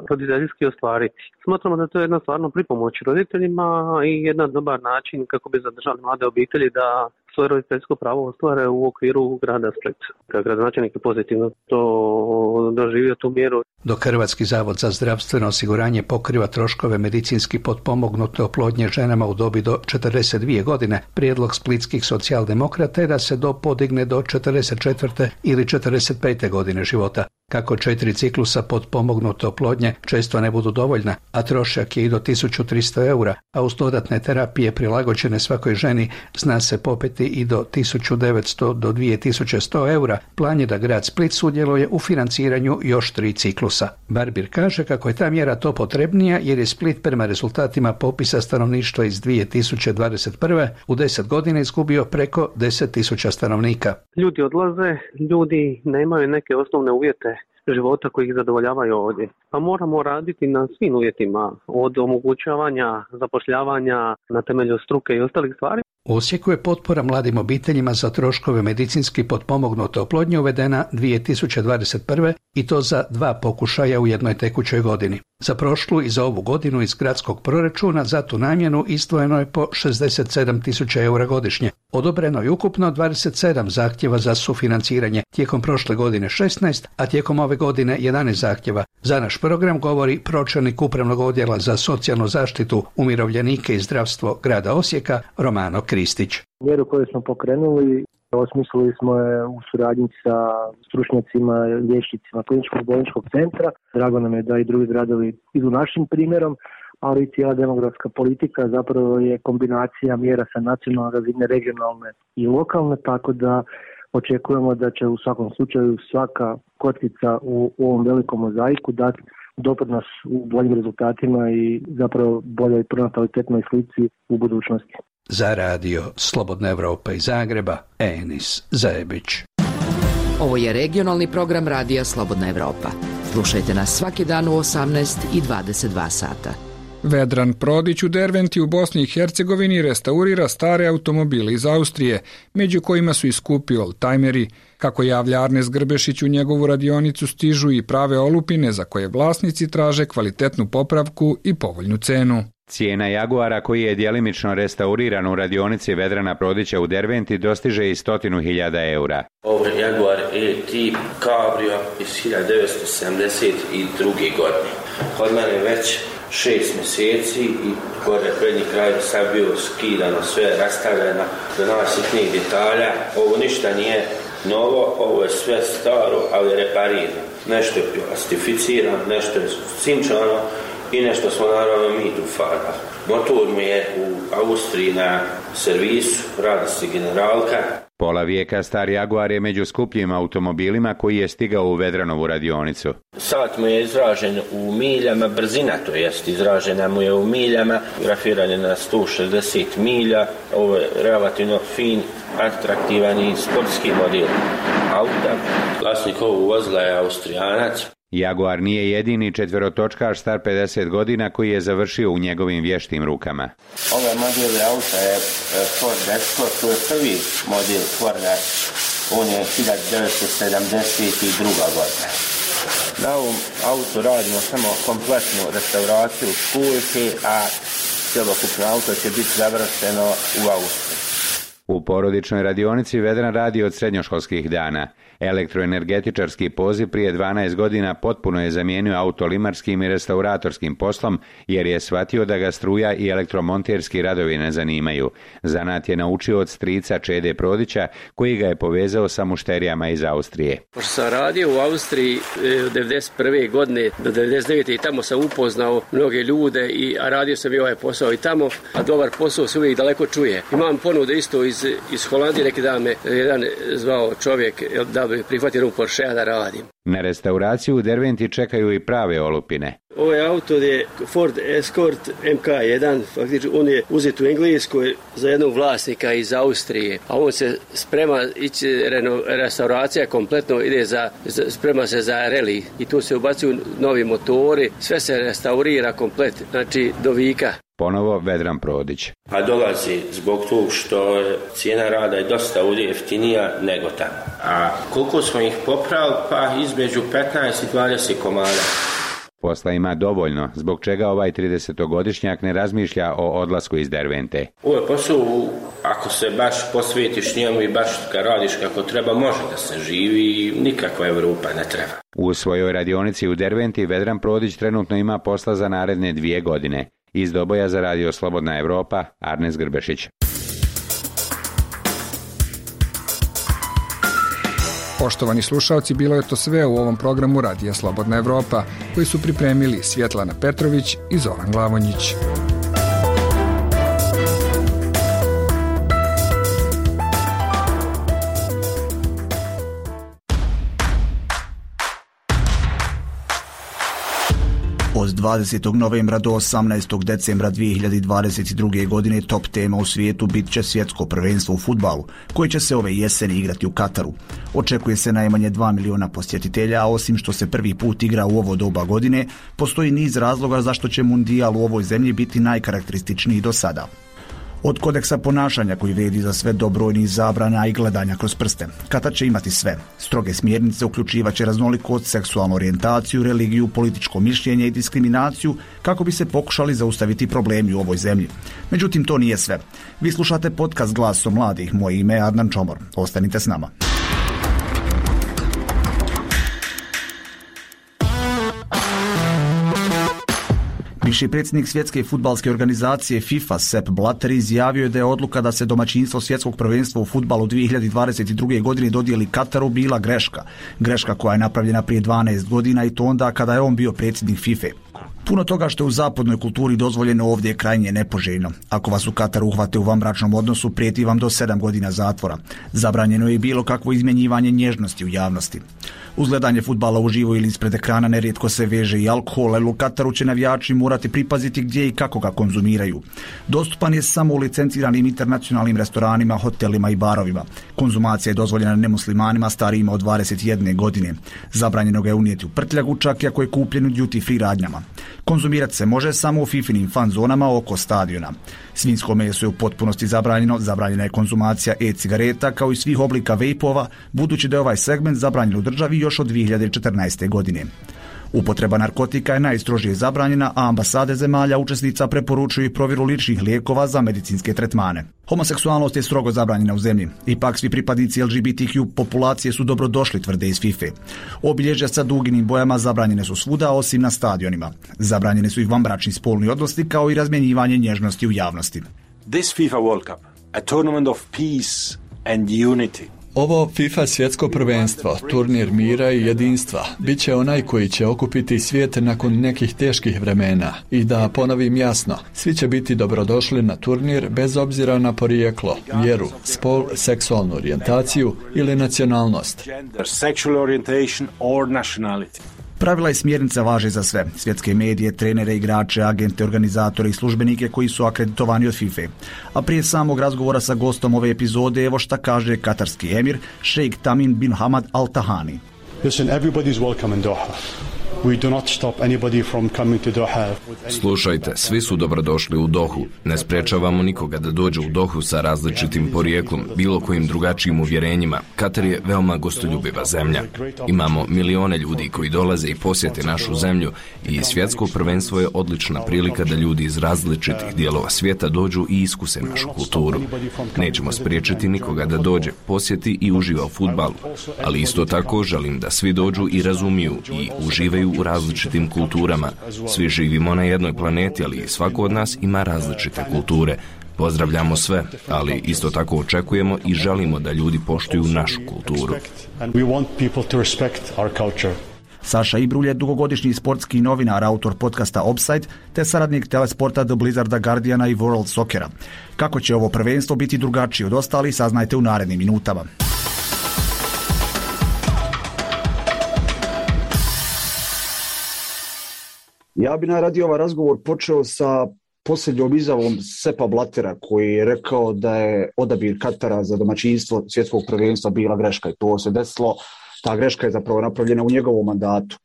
roditeljski ostvariti. Smatramo da to je jedna stvarno pripomoć roditeljima i jedan dobar način kako bi zadržali mlade obitelji da svoje roditeljsko pravo ostvare u okviru grada Splita. Kao gradonačelnik je pozitivno to doživio tu mjeru. Dok Hrvatski zavod za zdravstveno osiguranje pokriva troškove medicinski potpomognute oplodnje ženama u dobi do četrdeset dvije godine, prijedlog splitskih socijaldemokrata je da se do podigne do četrdeset četvrte ili četrdeset pete godine života. Kako četiri ciklusa potpomognute oplodnje često ne budu dovoljna, a trošak je i do tisuću tristo eura, a uz dodatne terapije prilagođene svakoj ženi zna se popeti i do tisuću devetsto do dvije tisuće sto eura, plan je da grad Split sudjeluje u financiranju još tri ciklusa. Barbir kaže kako je ta mjera to potrebnija jer je Split prema rezultatima popisa stanovništva iz dvije tisuće dvadeset prve u deset godina izgubio preko deset tisuća stanovnika. Ljudi odlaze, ljudi nemaju neke osnovne uvjete života koji ih zadovoljavaju ovdje. Pa moramo raditi na svim uvjetima, od omogućavanja, zapošljavanja na temelju struke i ostalih stvari. U Osijeku je potpora mladim obiteljima za troškove medicinski potpomognute oplodnje uvedena dvije tisuće dvadeset prve i to za dva pokušaja u jednoj tekućoj godini. Za prošlu i za ovu godinu iz gradskog proračuna za tu namjenu izdvojeno je po šezdeset sedam tisuća eura godišnje. Odobreno je ukupno dvadeset sedam zahtjeva za sufinanciranje, tijekom prošle godine šesnaest, a tijekom ove godine jedanaest zahtjeva. Za naš program govori pročelnik Upravnog odjela za socijalnu zaštitu, umirovljenike i zdravstvo grada Osijeka, Romano Kristić. Mjeru koju smo pokrenuli osmislili smo je u suradnji sa stručnjacima, liječnicima kliničkog bolničkog centra. Drago nam je da i drugi gradovi idu našim primjerom, ali i cijela demografska politika zapravo je kombinacija mjera sa nacionalne razine, regionalne i lokalne, tako da očekujemo da će u svakom slučaju svaka kockica u, u ovom velikom mozaiku dati doprinos u boljim rezultatima i zapravo boljoj pronatalitetnoj slici u budućnosti. Za radio Slobodna Evropa iz Zagreba, Enis Zajebić. Ovo je regionalni program radija Slobodna Evropa. Slušajte nas svaki dan u osamnaest i dvadeset dva sata. Vedran Prodić u Derventi u Bosni i Hercegovini restaurira stare automobile iz Austrije, među kojima su i skupi oldtimeri. Kako javlja Arnes Grbešić, u njegovu radionicu stižu i prave olupine za koje vlasnici traže kvalitetnu popravku i povoljnu cenu. Cijena Jaguara koji je djelimično restauriran u radionici Vedrana Prodića u Derventi dostiže i stotinu hiljada eura. Ovo je Jaguar E-Type Cabrio iz hiljadu devetsto sedamdeset druge. godine. Kod mene već šest mjeseci i gore prednji kraj sad bio skidano, sve rastavljeno do najsitnijih detalja. Ovo ništa nije novo, ovo je sve staro, ali reparirano. Nešto je plastificirano, nešto je cinčano i nešto smo naravno mi tu farbali. Motor mi je u Austriji na servisu, radi se generalka. Pola vijeka star Jaguar je među skupljim automobilima koji je stigao u Vedranovu radionicu. Sat mu je izražen u miljama, brzina to jest izražena mu je u miljama, grafiran je na sto šezdeset milja, ovo je relativno fin, atraktivan i sportski model auta. Vlasnik ovog vozila je Austrijanac. Jaguar nije jedini četverotočkaš star pedeset godina koji je završio u njegovim vještim rukama. Ovaj model auta je Ford Escort, to je prvi model Forda, on je hiljadu devetsto sedamdeset druga. godina. Na ovom autu radimo samo kompletnu restauraciju školjke, a cjelokupno auto će biti završeno u Austriji. U porodičnoj radionici Vedran radi od srednjoškolskih dana. Elektroenergetičarski poziv prije dvanaest godina potpuno je zamijenio autolimarskim i restauratorskim poslom jer je shvatio da ga struja i elektromonterski radovi ne zanimaju. Zanat je naučio od strica Čede Prodića koji ga je povezao sa mušterijama iz Austrije. Pošto sam radio u Austriji od devedeset prve. godine do devedeset devete. i tamo sam upoznao mnoge ljude, i, a radio sam i ovaj posao i tamo, a dobar posao se uvijek daleko čuje. Imam ponude isto iz, iz Holandije, neki dan me jedan zvao čovjek da bi prihvatio u Porschea da radim. Na restauraciju u Derventi čekaju i prave olupine. Ovaj auto je Ford Escort M K jedan, faktički on je uzet u Engleskoj za jednog vlasnika iz Austrije, a on se sprema ići, reno, restauracija kompletno ide za, za, sprema se za rally i tu se ubacuju novi motori, sve se restaurira komplet, znači do vika. Ponovo Vedran Prodić. A dolazi zbog toga što cijena rada je dosta ovdje jeftinija nego tamo. A koliko smo ih popravili? Pa između petnaest i dvadeset komada. Posla ima dovoljno, zbog čega ovaj tridesetogodišnjak ne razmišlja o odlasku iz Dervente. Ovo je posao, ako se baš posvetiš njemu i baš ga radiš kako treba, može da se živi i nikakva Evropa ne treba. U svojoj radionici u Derventi Vedran Prodić trenutno ima posla za naredne dvije godine. Iz Doboja za Radio Slobodna Evropa, Arnes Grbešić. Poštovani slušalci, bilo je to sve u ovom programu Radija Slobodna Evropa, koji su pripremili Svjetlana Petrović i Zoran Glavonjić. Od dvadesetog novembra do osamnaestog decembra dvije hiljade dvadeset druge. godine top tema u svijetu bit će svjetsko prvenstvo u fudbalu, koje će se ove jeseni igrati u Kataru. Očekuje se najmanje dva miliona posjetitelja, a osim što se prvi put igra u ovo doba godine, postoji niz razloga zašto će mundijal u ovoj zemlji biti najkarakterističniji do sada. Od kodeksa ponašanja koji vrijedi za sve do brojnih zabrana i gledanja kroz prste. Katar će imati sve. Stroge smjernice uključivaće raznolikost, seksualnu orijentaciju, religiju, političko mišljenje i diskriminaciju kako bi se pokušali zaustaviti problemi u ovoj zemlji. Međutim, to nije sve. Vi slušate podcast Glasom mladih. Moje ime je Adnan Čomor. Ostanite s nama. Bivši predsjednik svjetske fudbalske organizacije FIFA Sepp Blatter izjavio je da je odluka da se domaćinstvo svjetskog prvenstva u fudbalu dvije hiljade dvadeset druge. godine dodijeli Kataru bila greška. Greška koja je napravljena prije dvanaest godina i to onda kada je on bio predsjednik FIFA. Puno toga što je u zapadnoj kulturi dozvoljeno ovdje je krajnje nepoželjno. Ako vas u Kataru uhvate u vanbračnom odnosu, prijeti vam do sedam godina zatvora. Zabranjeno je bilo kakvo izmjenjivanje nježnosti u javnosti. Uz gledanje fudbala uživo ili ispred ekrana nerijetko se veže i alkohol, ali u Kataru će navijači morati pripaziti gdje i kako ga konzumiraju. Dostupan je samo u licenciranim internacionalnim restoranima, hotelima i barovima. Konzumacija je dozvoljena nemuslimanima starijima od dvadeset jedne. godine. Zabranjeno ga je unijeti u prtljagu, čak i ako je kupljen u duty free radnjama. Konzumirati se može samo u fifinim fan zonama oko stadiona. Svinjsko meso je u potpunosti zabranjeno, zabranjena je konzumacija e-cigareta kao i svih oblika vejpova, budući da je ovaj segment zabranjen u državi još od dvije hiljade četrnaeste. godine. Upotreba narkotika je najstrožije zabranjena, a ambasade zemalja učesnica preporučuju i provjeru ličnih lijekova za medicinske tretmane. Homoseksualnost je strogo zabranjena u zemlji. Ipak svi pripadnici L G B T Q populacije su dobrodošli, tvrde iz FIFA. Obilježja sa duginim bojama zabranjene su svuda, osim na stadionima. Zabranjene su i vanbračni spolni odnosi kao i razmjenjivanje nježnosti u javnosti. This FIFA World Cup, a tournament of peace and unity. Ovo FIFA svjetsko prvenstvo, turnir mira i jedinstva, bit će onaj koji će okupiti svijet nakon nekih teških vremena. I da ponovim jasno, svi će biti dobrodošli na turnir bez obzira na porijeklo, vjeru, spol, seksualnu orijentaciju ili nacionalnost. Gender, sexual orientation or nationality. Pravila i smjernice važe za sve. Svjetske medije, trenere, igrače, agente, organizatore i službenike koji su akreditovani od FIFA. A prije samog razgovora sa gostom ove epizode, evo šta kaže katarski emir, šejk Tamim bin Hamad Al Tahani. Listen, everybody is welcome in Doha. We do not stop anybody from coming to Doha. Slušajte, svi su dobrodošli u Dohu. Ne sprečavamo nikoga da dođe u Dohu sa različitim porijeklom, bilo kojim drugačijim uvjerenjima. Katar je veoma gostoljubiva zemlja. Imamo milione ljudi koji dolaze i posjete našu zemlju i svjetsko prvenstvo je odlična prilika da ljudi iz različitih dijelova svijeta dođu i iskuse našu kulturu. Nećemo spriječiti nikoga da dođe, posjeti i uživa u fudbalu, ali isto tako želim da svi dođu i razumiju i uživaju u različitim kulturama. Svi živimo na jednoj planeti, ali svako od nas ima različite kulture. Pozdravljamo sve, ali isto tako očekujemo i želimo da ljudi poštuju našu kulturu. Saša Ibrulj je dugogodišnji sportski novinar, autor podcasta Offside, te saradnik telesporta The Blizzarda, Guardiana i World Soccera. Kako će ovo prvenstvo biti drugačije od ostalih, saznajte u narednim minutama. Ja bi najradije ovaj razgovor počeo sa posljednjom izjavom Seppa Blattera, koji je rekao da je odabir Katara za domaćinstvo svjetskog prvenstva bila greška i to se desilo. Ta greška je zapravo napravljena u njegovom mandatu.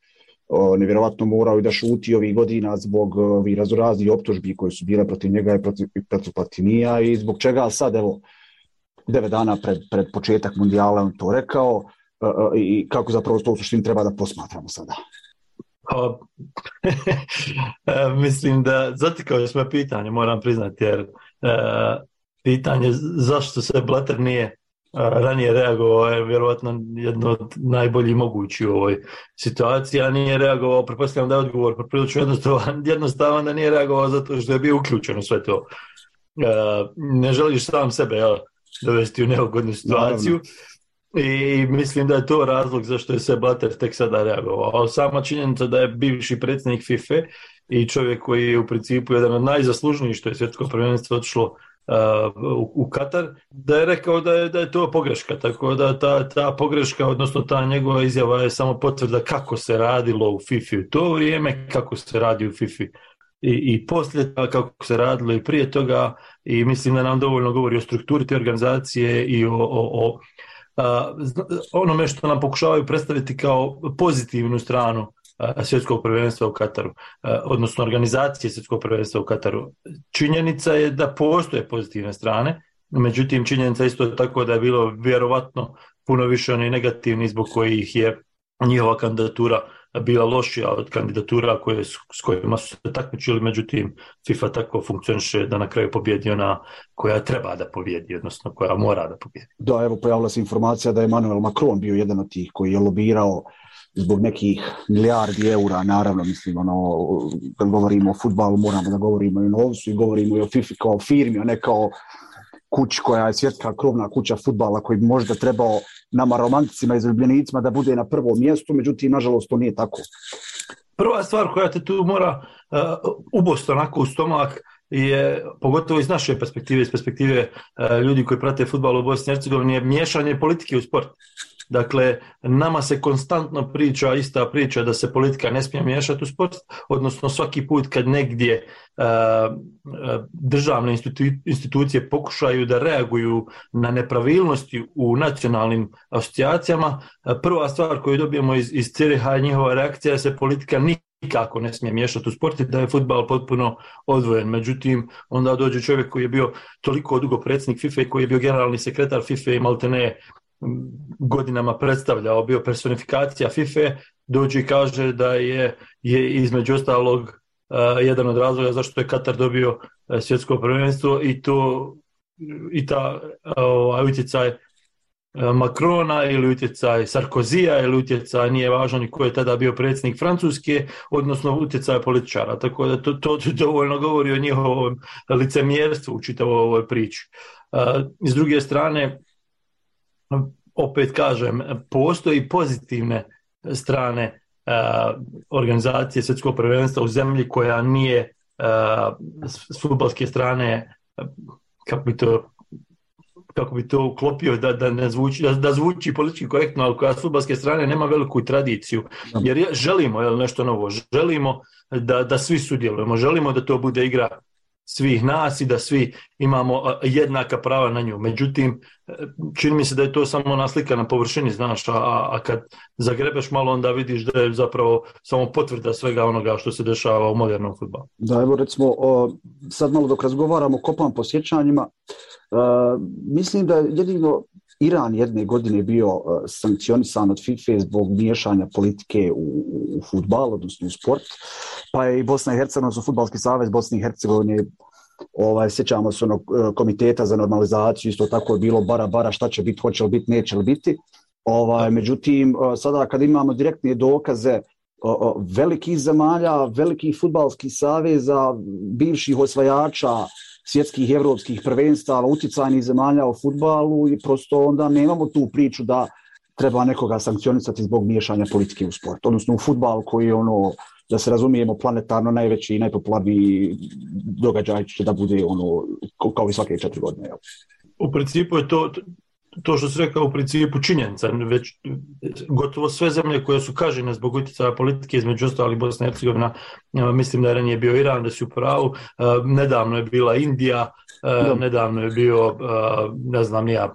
Nevjerovatno morao i da šuti ovih godina zbog ovih raznoraznih optužbi koje su bile protiv njega i protiv, protiv Platinija i zbog čega sad, evo, devet dana pred, pred početak mundijala on to rekao i kako zapravo to u suštini treba da posmatramo sada. Pa, mislim da zatikao svoje pitanje, moram priznati, jer uh, pitanje zašto se Blatter nije uh, ranije reagovao je vjerojatno jedno od najboljih mogućih u ovoj situaciji, a nije reagovao, pretpostavljam da je odgovor poprilično jednostavan, jednostavan da nije reagovao zato što je bio uključen u sve to. Uh, ne želiš sam sebe ja, dovesti u neugodnu situaciju. Naravno. I mislim da je to razlog zašto je se Blatter tek sada reagovao. A sama činjenica da je bivši predsjednik FIFA i čovjek koji je u principu jedan od najzaslužnijih što je svjetsko prvenstvo otišlo uh, u, u Katar, da je rekao da je, da je to pogreška. Tako da ta, ta pogreška, odnosno ta njegova izjava je samo potvrda kako se radilo u FIFA u to vrijeme, kako se radi u FIFA i, i poslije toga, kako se radilo i prije toga. I mislim da nam dovoljno govori o strukturi te organizacije i o, o, o Uh, onome što nam pokušavaju predstaviti kao pozitivnu stranu uh, svjetskog prvenstva u Kataru, uh, odnosno organizacije svjetskog prvenstva u Kataru. Činjenica je da postoje pozitivne strane, međutim činjenica isto tako da je bilo vjerovatno puno više onih negativnih zbog kojih je njihova kandidatura bila lošija od kandidatura koje, s kojima su se takmičili, međutim FIFA tako funkcioniše da na kraju pobjedi ona koja treba da pobjedi, odnosno koja mora da pobjedi. Da, evo pojavila se informacija da je Emmanuel Macron bio jedan od tih koji je lobirao zbog nekih milijardi eura, naravno, mislim, ono, kad govorimo o fudbalu moramo da govorimo i o novcu i govorimo i o FIFA kao firmi, a ne kao kući koja je svjetska krovna kuća fudbala koji bi možda trebao nama romanticima i zaljubljenicima da bude na prvom mjestu, međutim, nažalost, to nije tako. Prva stvar koja te tu mora uh, ubosti onako u stomak je, pogotovo iz naše perspektive, iz perspektive uh, ljudi koji prate fudbal u Bosni i Hercegovini, je miješanje politike u sport. Dakle, nama se konstantno priča, ista priča da se politika ne smije miješati u sport, odnosno svaki put kad negdje uh, državne institu- institucije pokušaju da reaguju na nepravilnosti u nacionalnim asocijacijama, prva stvar koju dobijemo iz, iz Ciriha je njihova reakcija da se politika nikako ne smije miješati u sport i da je fudbal potpuno odvojen. Međutim, onda dođe čovjek koji je bio toliko dugo predsjednik FIFA i koji je bio generalni sekretar FIFA i maltene godinama predstavljao, bio personifikacija FIFA, dođe i kaže da je, je između ostalog uh, jedan od razloga zašto je Katar dobio uh, svjetsko prvenstvo i to i ta uh, utjecaj uh, Macrona ili utjecaj Sarkozija ili utjecaj, nije važno ni ko je tada bio predsjednik Francuske, odnosno utjecaj političara, tako da to, to dovoljno govori o njihovom licemjerstvu u čitavoj ovoj priči. Uh, s druge strane, opet kažem, postoji pozitivne strane uh, organizacije svjetskog prvenstva u zemlji koja nije uh, s fudbalske strane, kako bi to kako bi to uklopio da, da, ne zvuči, da, da zvuči politički korektno, ali koja s fudbalske strane nema veliku tradiciju. Jer želimo jel, nešto novo, želimo da, da svi sudjelujemo, želimo da to bude igra svih nas i da svi imamo jednaka prava na nju. Međutim, čini mi se da je to samo naslika na površini, znaš, a, a kad zagrebeš malo onda vidiš da je zapravo samo potvrda svega onoga što se dešava u modernom fudbalu. Da, evo recimo, sad malo dok razgovaramo, kopam po sjećanjima, mislim da jedino Iran jedne godine bio sankcionisan od FIFA zbog miješanja politike u, u fudbal, odnosno u sport, pa je i Bosna i Hercegovina, odnosno Fudbalski savez Bosne i Hercegovine, ovaj, sjećamo se onog komiteta za normalizaciju, isto tako je bilo bara bara šta će biti, hoće li biti, neće li biti. Ovaj, međutim, sada kad imamo direktne dokaze velikih zemalja, velikih fudbalskih saveza, bivših osvajača svjetskih i evropskih prvenstava, utjecajnih zemalja u fudbalu i prosto onda nemamo tu priču da treba nekoga sankcionisati zbog miješanja politike u sport, odnosno u fudbal koji je ono, da se razumijemo, planetarno najveći i najpopularniji događaj će da bude ono kao i svake četiri godine. U principu je to, to što se rekao u principu činjenica, već gotovo sve zemlje koje su kažnjene zbog utjecaja politike, između ostalih Bosna i Hercegovina, mislim da je ranije bio Iran, da su u pravu, nedavno je bila Indija, da. nedavno je bio, ne znam ja,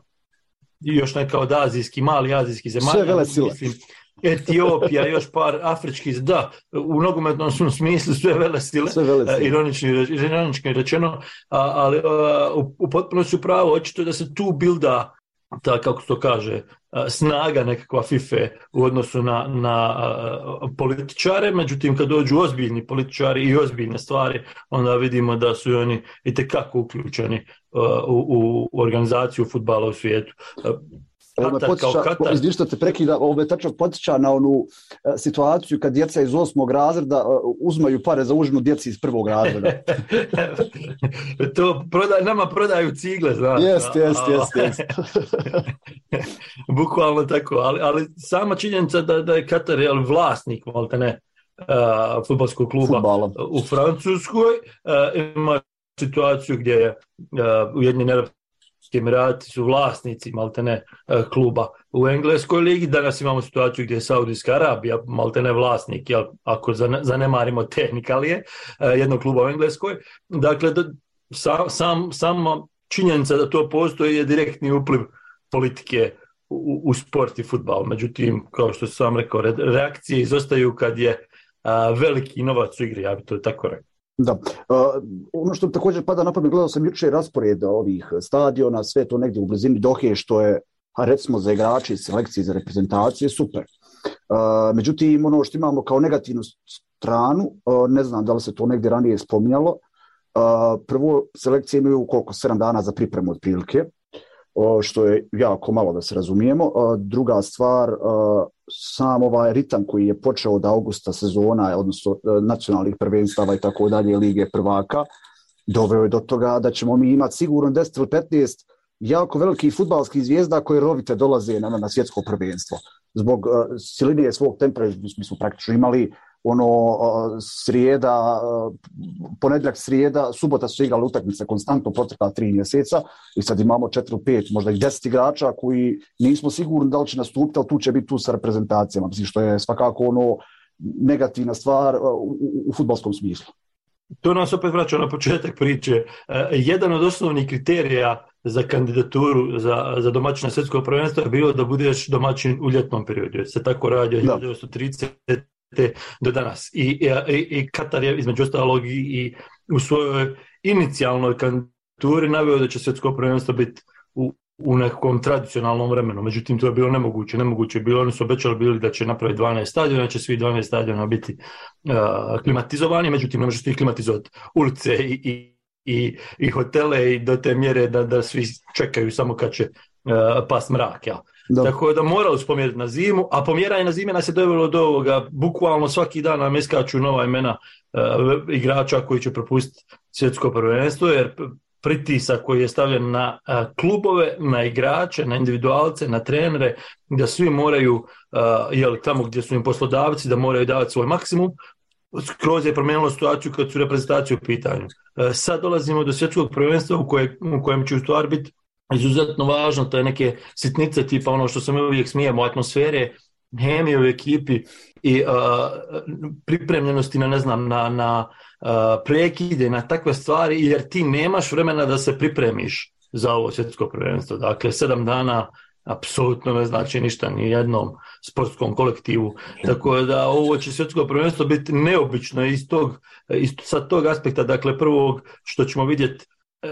još neka od azijskih, mali azijskih zemalja. Sve vele sile. Mislim, Etiopija, još par afričkih, da, u nogometnom smislu sve vele sile, sve vele sile. Ironični, ironični rečeno, ali u, u potpunosti u pravu, očito da se tu bilda ta, kako se to kaže, snaga nekakva FIFA u odnosu na, na političare, međutim kad dođu ozbiljni političari i ozbiljne stvari, onda vidimo da su oni itekako uključeni u, u organizaciju fudbala u svijetu. Izvini što te prekida, ovo me tačno podsjeća na onu uh, situaciju kad djeca iz osmog razreda uh, uzmaju pare za užinu djeci iz prvog razreda. To prodaj, nama prodaju cigle, znaš. Jest, jest, jest, jest. Bukvalno tako, ali, ali sama činjenica da, da je Katar je vlasnik, malte ne, uh, fudbalskog kluba Futbala. U Francuskoj, uh, ima situaciju gdje je uh, Ujedinjeni Arapski Emirati su vlasnici maltene kluba u Engleskoj ligi. Danas imamo situaciju gdje je Saudijska Arabija maltene vlasnik, jel, ako zanemarimo tehnikalije jednog kluba u Engleskoj. Dakle, sam, sam, sama činjenica da to postoji je direktni upliv politike u, u sport i fudbal. Međutim, kao što sam rekao, reakcije izostaju kad je a, veliki novac u igri, ja bi to tako rekao. Da. Uh, ono što također pada na pamet, gledao sam jučer raspored ovih stadiona, sve to negdje u blizini Dohe, što je, a recimo za igrače i selekcije za reprezentacije, super. Uh, međutim, ono što imamo kao negativnu stranu, uh, ne znam da li se to negdje ranije spominjalo, uh, prvo, selekcije imaju koliko, sedam dana za pripremu otprilike, uh, što je jako malo da se razumijemo. Uh, druga stvar, uh, sam ovaj ritam koji je počeo od augusta sezona, odnosno nacionalnih prvenstava i tako dalje, lige prvaka, doveo je do toga da ćemo mi imati sigurno deset ili petnaest jako velikih fudbalskih zvijezda koje rovite dolaze na, na svjetsko prvenstvo. Zbog uh, silinije svog tempera, mi smo praktično imali ono uh, srijeda, uh, ponedjeljak srijeda, subota su igrali utakmice konstantno protekla tri mjeseca i sad imamo četiri, pet, možda i deset igrača koji nismo sigurni da li će nastupiti, ali tu će biti tu sa reprezentacijama, mislim što je svakako ono negativna stvar uh, u, u fudbalskom smislu. To nas opet vraća na početak priče. Uh, jedan od osnovnih kriterija za kandidaturu za, za domaćina svjetskog prvenstva je bilo da budeš domaćin u ljetnom periodu. Se tako radi od hiljadu devetsto tridesete do danas. I, i, i Katar je između ostalog i, i u svojoj inicijalnoj kandidaturi naveo da će svjetsko prvenstvo biti u, u nekom tradicionalnom vremenu. Međutim, to je bilo nemoguće. Nemoguće je bilo, oni su obećali bili da će napraviti dvanaest stadiona, da će svi dvanaest stadiona biti uh, klimatizovani, međutim, ne možeš ti klimatizovati ulice i, i, i, i hotele i do te mjere da, da svi čekaju samo kad će uh, pas mrak, ja. Da. Tako da morali su pomjeriti na zimu, a pomjeranje na zime nas je dovelo do ovoga, bukvalno svaki dan nam iskaču nova imena uh, igrača koji će propustiti svjetsko prvenstvo, jer pritisak koji je stavljen na uh, klubove, na igrače, na individualce, na trenere, da svi moraju, uh, jel, tamo gdje su im poslodavci, da moraju davati svoj maksimum. Skroz je promijenilo situaciju kad su reprezentacije u pitanju. Uh, sad dolazimo do svjetskog prvenstva u, koje, u kojem će u stvari biti izuzetno važno, to je neke sitnice tipa ono što se mi uvijek smijemo, atmosfere, hemije u ekipi i uh, pripremljenosti na, ne znam, na, na uh, prekide, na takve stvari, jer ti nemaš vremena da se pripremiš za ovo svjetsko prvenstvo. Dakle, sedam dana apsolutno ne znači ništa ni jednom sportskom kolektivu. Tako da ovo će svjetsko prvenstvo biti neobično iz tog, iz, sa tog aspekta, dakle prvog što ćemo vidjeti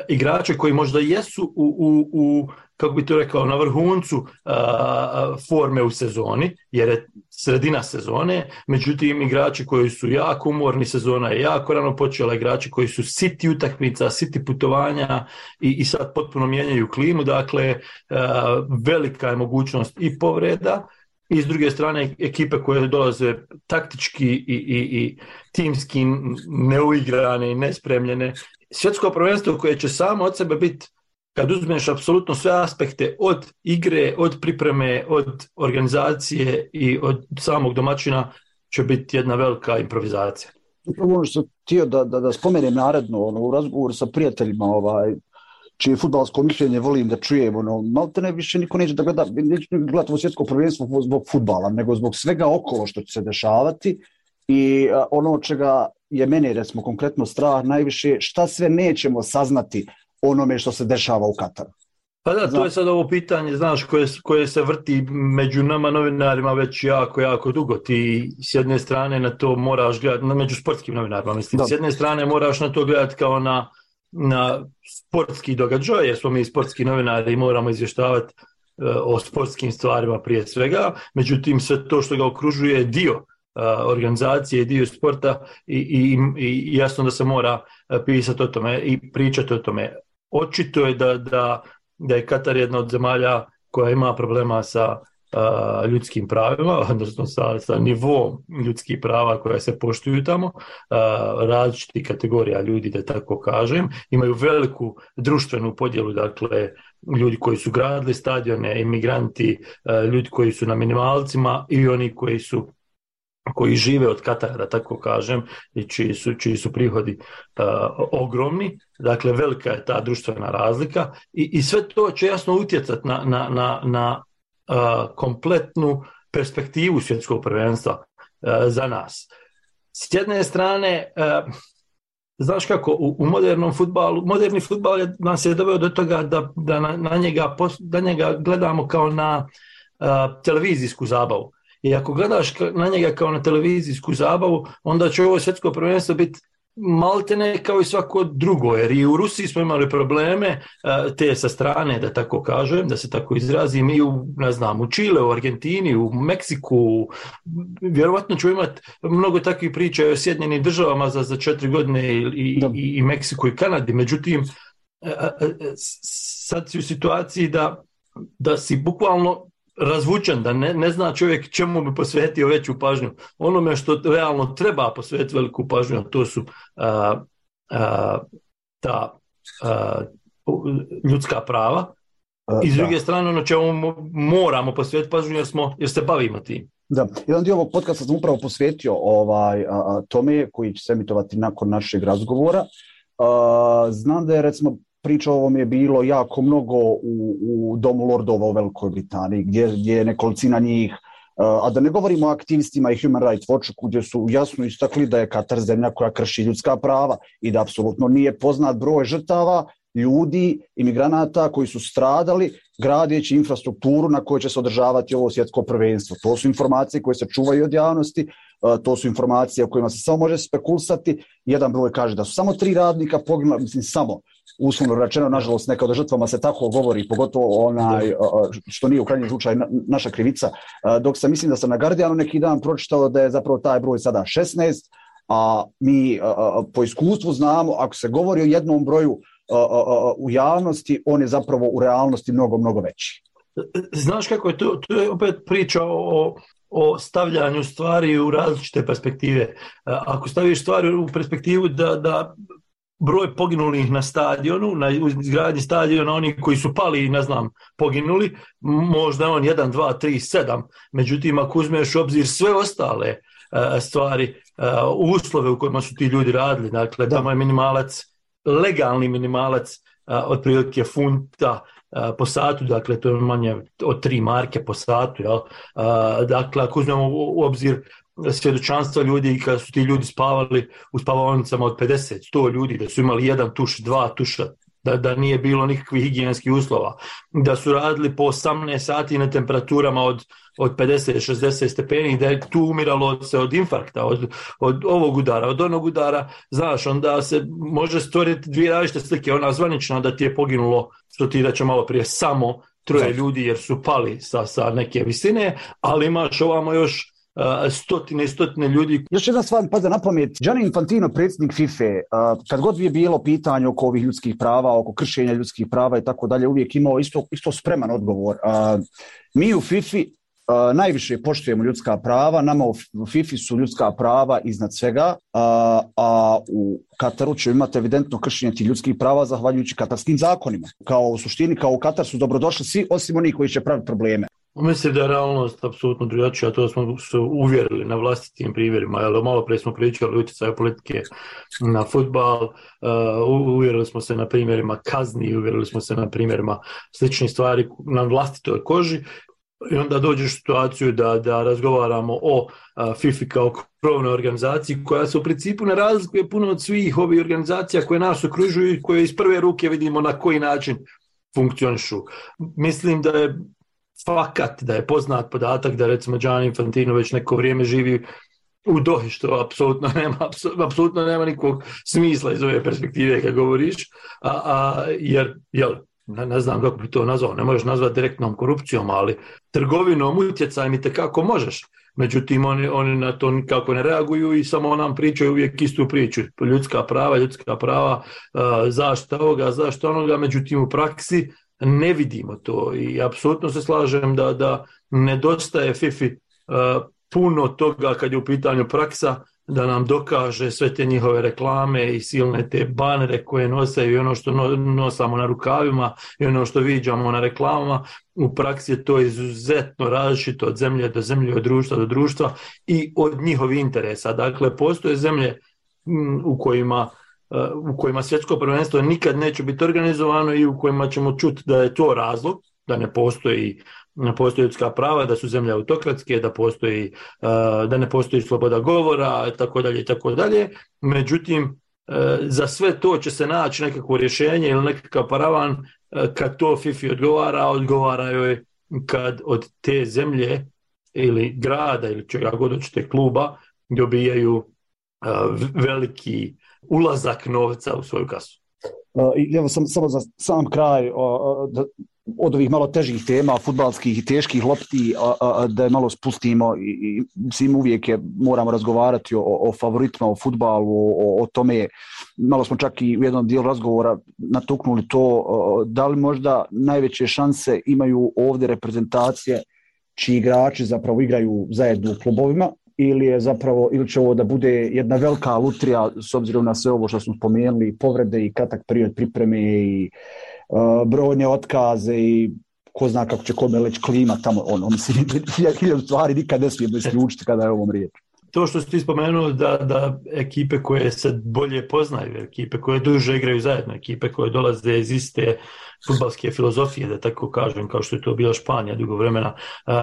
igrače koji možda jesu u, u, u kako bi to rekao, na vrhuncu a, forme u sezoni, jer je sredina sezone, međutim igrači koji su jako umorni, sezona je jako rano počela, igrači koji su siti utakmica, siti putovanja i, i sad potpuno mijenjaju klimu, dakle a, velika je mogućnost i povreda, i s druge strane ekipe koje dolaze taktički i, i, i timski neuigrane i nespremljene. Svjetsko prvenstvo koje će samo od sebe biti, kad uzmeš apsolutno sve aspekte od igre, od pripreme, od organizacije i od samog domaćina, će biti jedna velika improvizacija. Upravo ono što htio da, da, da spomenem naredno, ono, u razgovoru sa prijateljima, ovaj, čije fudbalsko mišljenje volim da čujem, ono, malte ne više niko neće da gleda, neće gledati ovo svjetsko prvenstvo zbog fudbala, nego zbog svega okolo što će se dešavati i a, ono čega je mene, recimo, konkretno strah najviše, šta sve nećemo saznati onome što se dešava u Kataru. Pa da, to je sad ovo pitanje, znaš, koje, koje se vrti među nama novinarima već jako, jako dugo. Ti s jedne strane na to moraš gledati, među sportskim novinarima, mislim, da. S jedne strane moraš na to gledati kao na, na sportski događaj, jer smo mi sportski novinari i moramo izvještavati o sportskim stvarima prije svega, međutim sve to što ga okružuje je dio organizacije, dio sporta i, i, i jasno da se mora pisati o tome i pričati o tome. Očito je da, da, da je Katar jedna od zemalja koja ima problema sa uh, ljudskim pravima, odnosno sa, sa nivom ljudskih prava koja se poštuju tamo, uh, različitih kategorija ljudi, da tako kažem, imaju veliku društvenu podjelu, dakle ljudi koji su gradili stadione, imigranti, uh, ljudi koji su na minimalcima i oni koji su koji žive od Katara, da tako kažem, i čiji su, čiji su prihodi uh, ogromni. Dakle, velika je ta društvena razlika i, i sve to će jasno utjecati na, na, na, na uh, kompletnu perspektivu svjetskog prvenstva uh, za nas. S jedne strane, uh, znaš kako, u, u modernom fudbalu, moderni fudbal je, nas je doveo do toga da, da, na, na njega, da njega gledamo kao na uh, televizijsku zabavu. I ako gledaš na njega kao na televizijsku zabavu, onda će ovo svjetsko prvenstvo biti maltene kao i svako drugo, jer i u Rusiji smo imali probleme te sa strane, da tako kažem, da se tako izrazim, i u, ne znam, u Čile, u Argentini, u Meksiku, vjerovatno ću imati mnogo takvih priča o Sjedinjenim državama za, za četiri godine i, i, i Meksiku i Kanadi, međutim sad si u situaciji da, da si bukvalno razvučen, da ne, ne zna čovjek čemu bi posvetio veću pažnju. Onome što realno treba posvetiti veliku pažnju, to su a, a, ta a, ljudska prava. I s druge da. strane ono čemu moramo posvetiti pažnju jer, smo, jer se bavimo tim. Da, jedan dio ovog podcasta sam upravo posvetio ovaj, a, tome koji će se emitovati nakon našeg razgovora. A, znam da je recimo priča o ovom je bilo jako mnogo u, u Domu lordova u Velikoj Britaniji, gdje, gdje je nekolicina njih, a da ne govorimo o aktivistima i Human Rights Watchu, gdje su jasno istakli da je Katar zemlja koja krši ljudska prava i da apsolutno nije poznat broj žrtava, ljudi, imigranata koji su stradali gradeći infrastrukturu na kojoj će se održavati ovo svjetsko prvenstvo. To su informacije koje se čuvaju od javnosti, to su informacije o kojima se samo može spekulisati. Jedan broj kaže da su samo tri radnika poginula, mislim samo, uslovno rečeno, nažalost, neka od žrtvama se tako govori, pogotovo onaj, što nije u krajnjem slučaju naša krivica, dok sam mislim da sam na Guardianu neki dan pročitao da je zapravo taj broj sada šesnaest, a mi po iskustvu znamo, ako se govori o jednom broju u javnosti, on je zapravo u realnosti mnogo, mnogo veći. Znaš kako je to? To je opet priča o, o stavljanju stvari u različite perspektive. Ako staviš stvari u perspektivu da, da broj poginulih na stadionu, na izgradnji stadiona, oni koji su pali, ne znam, poginuli, možda on jedan, dva, tri, sedam. Međutim, ako uzmeš u obzir sve ostale uh, stvari, uh, uslove u kojima su ti ljudi radili, dakle, da. Tamo je minimalac, legalni minimalac, uh, otprilike funta uh, po satu, dakle, to je manje od tri marke po satu, jel? Uh, dakle, ako uzmemo u, u obzir svjedočanstva ljudi kada su ti ljudi spavali u spavaonicama od pedeset, sto ljudi, da su imali jedan tuš, dva tuša, da, da nije bilo nikakvih higijenskih uslova, da su radili po osamnaest sati na temperaturama od, od pedeset šezdeset stepeni, da je tu umiralo se od infarkta, od, od ovog udara, od onog udara, znaš, onda se može stvoriti dvije različite slike, ona zvanična da ti je poginulo, što ti reče malo prije, samo troje ljudi jer su pali sa, sa neke visine, ali imaš ovamo još Uh, stotine i stotine ljudi. Još jedna stvar mi pada na pamet. Gianni Infantino, predsjednik FIFA, uh, kad god je bilo pitanje oko ovih ljudskih prava, oko kršenja ljudskih prava i tako dalje, uvijek imao isto, isto spreman odgovor. Uh, mi u FIFA uh, najviše poštujemo ljudska prava, nama u FIFA su ljudska prava iznad svega, uh, a u Kataru će imati evidentno kršenje tih ljudskih prava zahvaljujući katarskim zakonima. Kao u suštini, kao u Katar su dobrodošli svi, osim onih koji će praviti probleme. Mislim da je realnost apsolutno drugačija, to smo se uvjerili na vlastitim primjerima, jer malo prije smo pričali o utjecaju politike na fudbal, uh, uvjerili smo se na primjerima kazni, uvjerili smo se na primjerima sličnih stvari na vlastitoj koži i onda dođeš u situaciju da, da razgovaramo o uh, FIFA kao krovnoj organizaciji koja se u principu ne razlikuje puno od svih ovih organizacija koje nas okružuju i koje iz prve ruke vidimo na koji način funkcionišu. Mislim da je fakat, da je poznat podatak da recimo Gianni Infantino već neko vrijeme živi u Dohi, što apsolutno nema, apsolutno nema nikog smisla iz ove perspektive kad govoriš, a, a, jer jel, ne, ne znam kako bi to nazvao, ne možeš nazvati direktnom korupcijom, ali trgovinom, utjecajem i tekako možeš. Međutim, oni, oni na to nikako ne reaguju i samo nam pričaju uvijek istu priču. Ljudska prava, ljudska prava, zaštita ovoga, zaštita onoga, međutim u praksi ne vidimo to i apsolutno se slažem da, da nedostaje Fifi puno toga kad je u pitanju praksa, da nam dokaže sve te njihove reklame i silne te banere koje nosaju i ono što nosamo na rukavima i ono što viđamo na reklamama. U praksi je to izuzetno različito od zemlje do zemlje, od društva do društva i od njihovih interesa. Dakle, postoje zemlje u kojima, u kojima svjetsko prvenstvo nikad neće biti organizovano i u kojima ćemo čuti da je to razlog, da ne postoji ne postoji ljudska prava, da su zemlje autokratske, da postoji, da ne postoji sloboda govora, tako dalje, tako dalje. Međutim, za sve to će se naći nekakvo rješenje ili nekakav paravan kad to Fifi odgovara, odgovara joj kad od te zemlje ili grada ili čega god hoćete kluba dobijaju veliki ulazak novca u svoju kasu. I evo sam, samo za sam kraj da, od ovih malo težih tema, fudbalskih i teških lopti, da je malo spustimo i, i svim uvijek je, moramo razgovarati o, o favoritima, o fudbalu, o, o tome. Malo smo čak i u jednom dijelu razgovora natuknuli to, da li možda najveće šanse imaju ovdje reprezentacije čiji igrači zapravo igraju zajedno u klubovima, ili je zapravo, ili će ovo da bude jedna velika lutrija s obzirom na sve ovo što smo spomenuli, povrede i kratak period pripreme i uh, brojne otkaze i ko zna kako će kome leći klima tamo, ono, mislim, hiljadu stvari nikad ne smijemo isključiti kada je ovom riječ. To što ste spomenuli da, da ekipe koje se bolje poznaju, ekipe koje duže igraju zajedno, ekipe koje dolaze iz iste fudbalske filozofije, da tako kažem, kao što je to bila Španija dugo vremena, uh,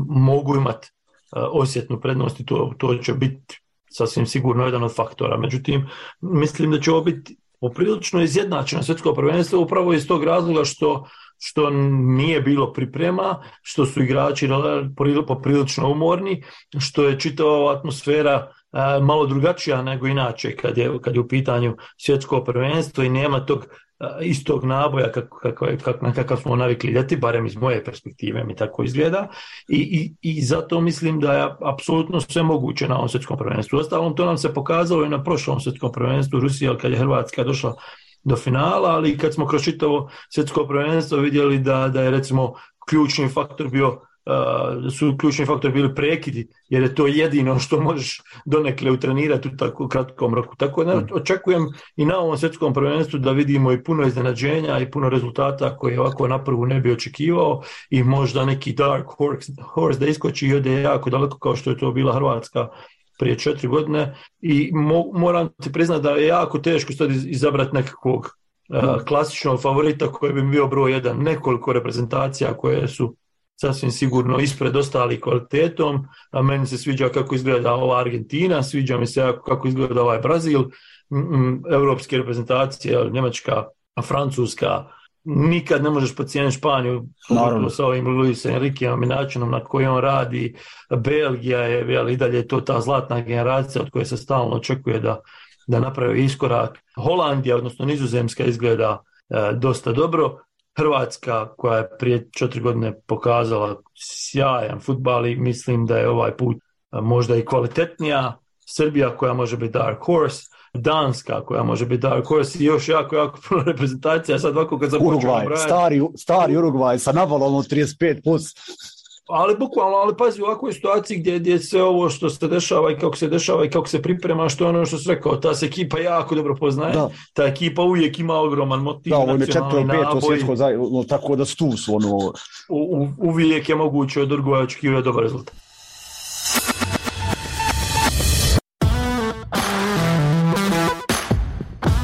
mogu imati osjetnu prednost i to, to će biti sasvim sigurno jedan od faktora. Međutim, mislim da će ovo biti poprilično izjednačeno svjetsko prvenstvo upravo iz tog razloga što, što nije bilo priprema, što su igrači poprilično umorni, što je čitava atmosfera malo drugačija nego inače kad je, kad je u pitanju svjetsko prvenstvo i nema tog istog naboja kako, kako, kako, na kakav smo navikli ljeti, barem iz moje perspektive mi tako izgleda i, i, i zato mislim da je apsolutno sve moguće na ovom svjetskom prvenstvu. Ostalom, to nam se pokazalo i na prošlom svjetskom prvenstvu Rusija kad je Hrvatska došla do finala, ali kad smo kroz čitavo svjetsko prvenstvo vidjeli da, da je recimo ključni faktor bio Uh, su ključni faktori bili prekidi, jer je to jedino što možeš donekle utrenirati u tako kratkom roku. Tako da očekujem i na ovom svjetskom prvenstvu da vidimo i puno iznenađenja i puno rezultata koje ovako na prvu ne bi očekivao i možda neki dark horse, horse da iskoči i ode jako daleko kao što je to bila Hrvatska prije četiri godine i mo- moram ti priznati da je jako teško sad izabrati nekakvog uh, klasičnog favorita koji bi bio broj jedan. Nekoliko reprezentacija koje su sasvim sigurno ispred ostali kvalitetom, a meni se sviđa kako izgleda ova Argentina, sviđa mi se kako izgleda ovaj Brazil, evropske reprezentacije, Njemačka, Francuska, nikad ne možeš pocijeniti Španiju sa ovim Luis Enriqueom i načinom na koji on radi. Belgija je, jel, i dalje to ta zlatna generacija od koje se stalno očekuje da, da napravi iskorak. Holandija, odnosno Nizozemska, izgleda e, dosta dobro. Hrvatska koja je prije četiri godine pokazala sjajan fudbal i mislim da je ovaj put možda i kvalitetnija. Srbija koja može biti dark horse, Danska koja može biti dark horse i još jako, jako puno reprezentacija. Sad ovako kad započemo Urugvaj, stari, stari Urugvaj sa navalom od trideset pet plus. Ali bukvalno, ali pazi, u ovakvoj situaciji gdje, gdje sve ovo što se dešava i kako se dešava i kako se priprema, što je ono što se rekao, ta se ekipa jako dobro poznaje, da. Ta ekipa uvijek ima ogroman motiv, da, nacionalni naboj, svjetsko, tako da stu su ono... U, u, uvijek je moguće od Uruguaja očekivati dobar rezultat.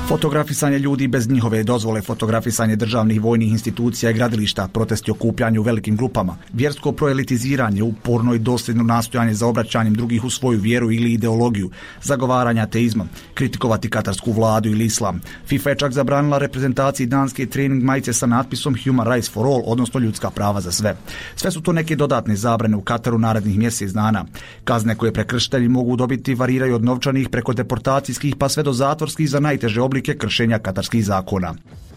Fotografisanje ljudi bez njihove dozvole, fotografisanje državnih vojnih institucija i gradilišta, protesti okupljanju u velikim grupama, vjersko proelitiziranje, uporno i dosljedno nastojanje za obraćanjem drugih u svoju vjeru ili ideologiju, zagovaranje ateizma, kritikovati katarsku vladu ili islam. FIFA je čak zabranila reprezentaciji danske trening majice sa natpisom Human Rights for All, odnosno ljudska prava za sve. Sve su to neke dodatne zabrane u Kataru narednih mjesec dana. Kazne koje prekršitelji mogu dobiti variraju od novčanih preko deportacijskih pa sve do zatvorskih za najteže oblike kršenja katarskih zakona.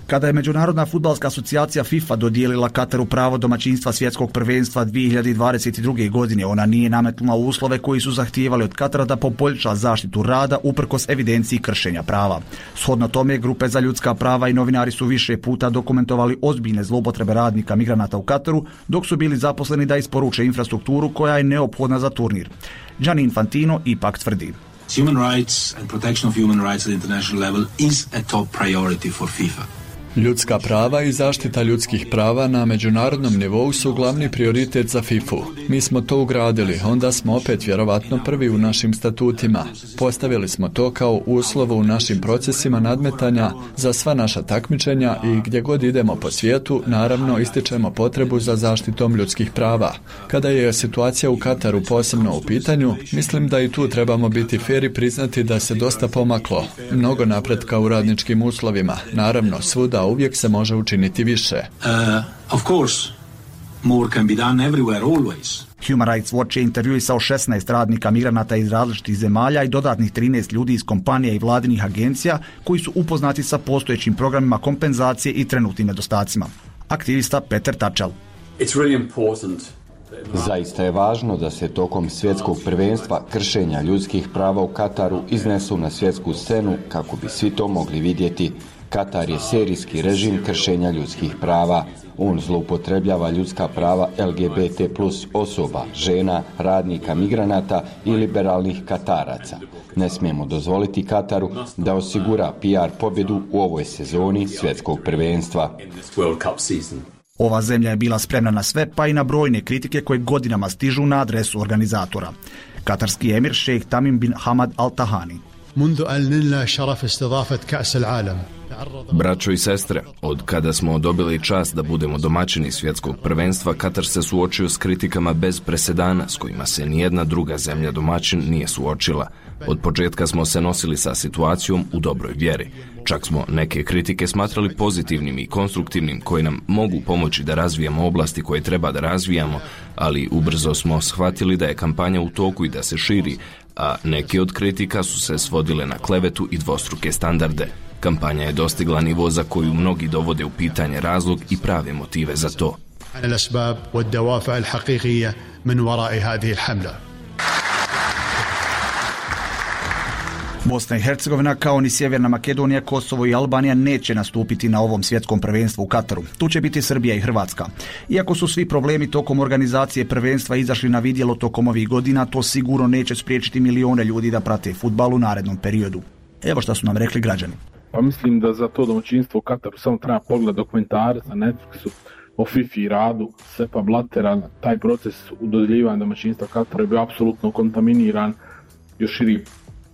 Kada je Međunarodna fudbalska asocijacija FIFA dodijelila Kataru pravo domaćinstva svjetskog prvenstva dvije hiljade dvadeset druge. godine, ona nije nametnula uslove koji su zahtijevali od Katara da poboljša zaštitu rada uprkos evidenciji kršenja prava. Shodno tome, grupe za ljudska prava i novinari su više puta dokumentovali ozbiljne zloupotrebe radnika migranata u Kataru, dok su bili zaposleni da isporuče infrastrukturu koja je neophodna za turnir. Gianni Infantino ipak tvrdi: Human rights and protection of human rights at international level is a top priority for FIFA. Ljudska prava i zaštita ljudskih prava na međunarodnom nivou su glavni prioritet za fifu. Mi smo to ugradili, onda smo opet vjerovatno prvi u našim statutima. Postavili smo to kao uslov u našim procesima nadmetanja za sva naša takmičenja i gdje god idemo po svijetu, naravno ističemo potrebu za zaštitom ljudskih prava. Kada je situacija u Kataru posebno u pitanju, mislim da i tu trebamo biti fer i priznati da se dosta pomaklo. Mnogo napretka u radničkim uslovima. Naravno, svuda uvijek se može učiniti više. Uh, of course, more can be done everywhere, always. Human Rights Watch je intervjuisao šesnaest radnika migranata iz različitih zemalja i dodatnih trinaest ljudi iz kompanija i vladinih agencija koji su upoznati sa postojećim programima kompenzacije i trenutnim nedostacima. Aktivista Peter Tačel. It's really important. Zaista je važno da se tokom svjetskog prvenstva kršenja ljudskih prava u Kataru iznesu na svjetsku scenu kako bi svi to mogli vidjeti. Katar je serijski režim kršenja ljudskih prava. On zloupotrebljava ljudska prava L G B T plus osoba, žena, radnika, migranata i liberalnih Kataraca. Ne smijemo dozvoliti Kataru da osigura P R pobjedu u ovoj sezoni svjetskog prvenstva. Ova zemlja je bila spremna na sve, pa i na brojne kritike koje godinama stižu na adresu organizatora. Katarski emir šejh Tamim bin Hamad Al Tahani. Braćo i sestre, od kada smo dobili čast da budemo domaćini svjetskog prvenstva, Katar se suočio s kritikama bez presedana s kojima se nijedna druga zemlja domaćin nije suočila. Od početka smo se nosili sa situacijom u dobroj vjeri. Čak smo neke kritike smatrali pozitivnim i konstruktivnim koje nam mogu pomoći da razvijamo oblasti koje treba da razvijamo, ali ubrzo smo shvatili da je kampanja u toku i da se širi, a neke od kritika su se svodile na klevetu i dvostruke standarde. Kampanja je dostigla nivo za koju mnogi dovode u pitanje razlog i prave motive za to. Bosna i Hercegovina, kao ni Sjeverna Makedonija, Kosovo i Albanija neće nastupiti na ovom svjetskom prvenstvu u Kataru. Tu će biti Srbija i Hrvatska. Iako su svi problemi tokom organizacije prvenstva izašli na vidjelo tokom ovih godina, to sigurno neće spriječiti milione ljudi da prate fudbal u narednom periodu. Evo šta su nam rekli građani. Pa mislim da za to domaćinstvo u Kataru samo treba pogled dokumentarac na Netflixu o FIFA i radu Sepa Blattera. Taj proces u dodjeljivanja domaćinstva Katara je bio apsolutno kontaminiran. Još širi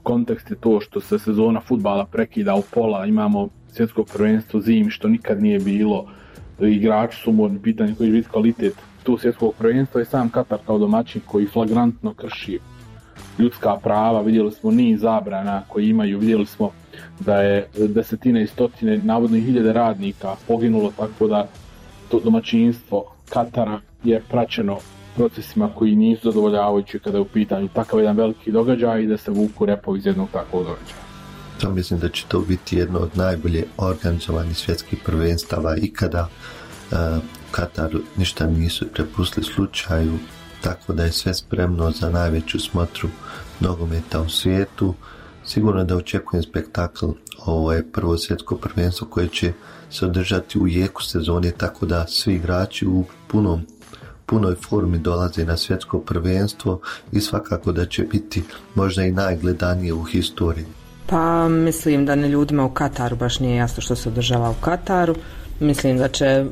kontekst je to što se sezona fudbala prekida u pola, imamo svjetsko prvenstvo zimi što nikad nije bilo, igrači su umorni, pitanje koji će biti kvalitet tu svjetskog prvenstva i sam Katar kao domaćin koji flagrantno krši ljudska prava. Vidjeli smo niz zabrana koji imaju, vidjeli smo da je desetine i stotine, navodno i hiljade radnika poginulo, tako da to domaćinstvo Katara je praćeno procesima koji nisu zadovoljavajući kada je u pitanju takav jedan veliki događaj i da se vuku repovi iz jednog takvog događaja. Ja mislim da će to biti jedno od najbolje organizovanih svjetskih prvenstava ikada. Uh, Kataru ništa nisu prepustili slučaju, tako da je sve spremno za najveću smotru nogometa u svijetu. Sigurno da očekujem spektakl. Ovo je prvo svjetsko prvenstvo koje će se održati u jeku sezone, tako da svi igrači u punom punoj formi dolaze na svjetsko prvenstvo i svakako da će biti možda i najgledanije u historiji. Pa mislim da ne ljudima u Kataru baš nije jasno što se održava u Kataru. Mislim da će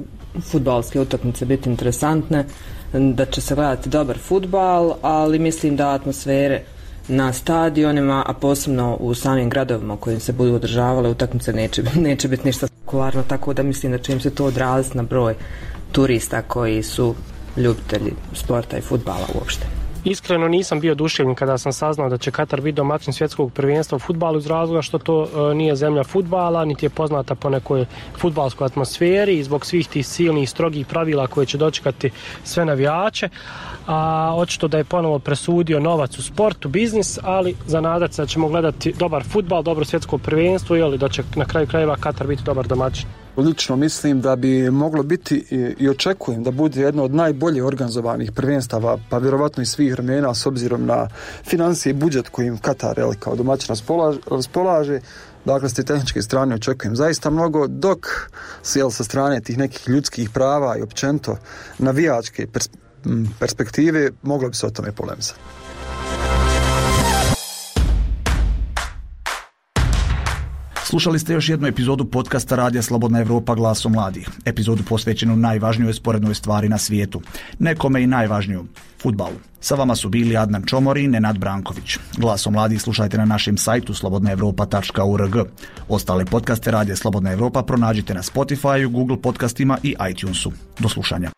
fudbalske utakmice biti interesantne, da će se gledati dobar fudbal, ali mislim da atmosfere na stadionima, a posebno u samim gradovima u kojim se budu održavale utakmice neće, neće biti ništa spektakularno, tako da mislim da će im se to odraziti na broj turista koji su ljubitelji sporta i fudbala uopšte. Iskreno nisam bio oduševljen kada sam saznao da će Katar biti domaćin svjetskog prvenstva u fudbalu iz razloga što to e, nije zemlja fudbala, niti je poznata po nekoj fudbalskoj atmosferi i zbog svih tih silnih strogih pravila koje će dočekati sve navijače. A očito da je ponovo presudio novac u sportu, biznis, ali za nadat se da ćemo gledati dobar fudbal, dobro svjetsko prvenstvo i da će na kraju krajeva Katar biti dobar domaćin. Lično mislim da bi moglo biti i očekujem da bude jedno od najbolje organizovanih prvenstava, pa vjerovatno i svih vremena s obzirom na financije i budžet kojim Katar jel, kao domaćin raspolaže, raspolaže. Dakle, s te tehničke strane očekujem zaista mnogo, dok jel, sa strane tih nekih ljudskih prava i općenito navijačke pers- perspektive moglo bi se o tome polemizati. Slušali ste još jednu epizodu podcasta Radija Slobodna Evropa glasom mladih. Epizodu posvećenu najvažnijoj sporednoj stvari na svijetu. Nekome i najvažniju, fudbalu. Sa vama su bili Adnan Čomori i Nenad Branković. Glasom mladih slušajte na našem sajtu slobodna evropa tačka org. Ostale podcaste Radija Slobodna Evropa pronađite na Spotify, Google podcastima i iTunesu. Do slušanja.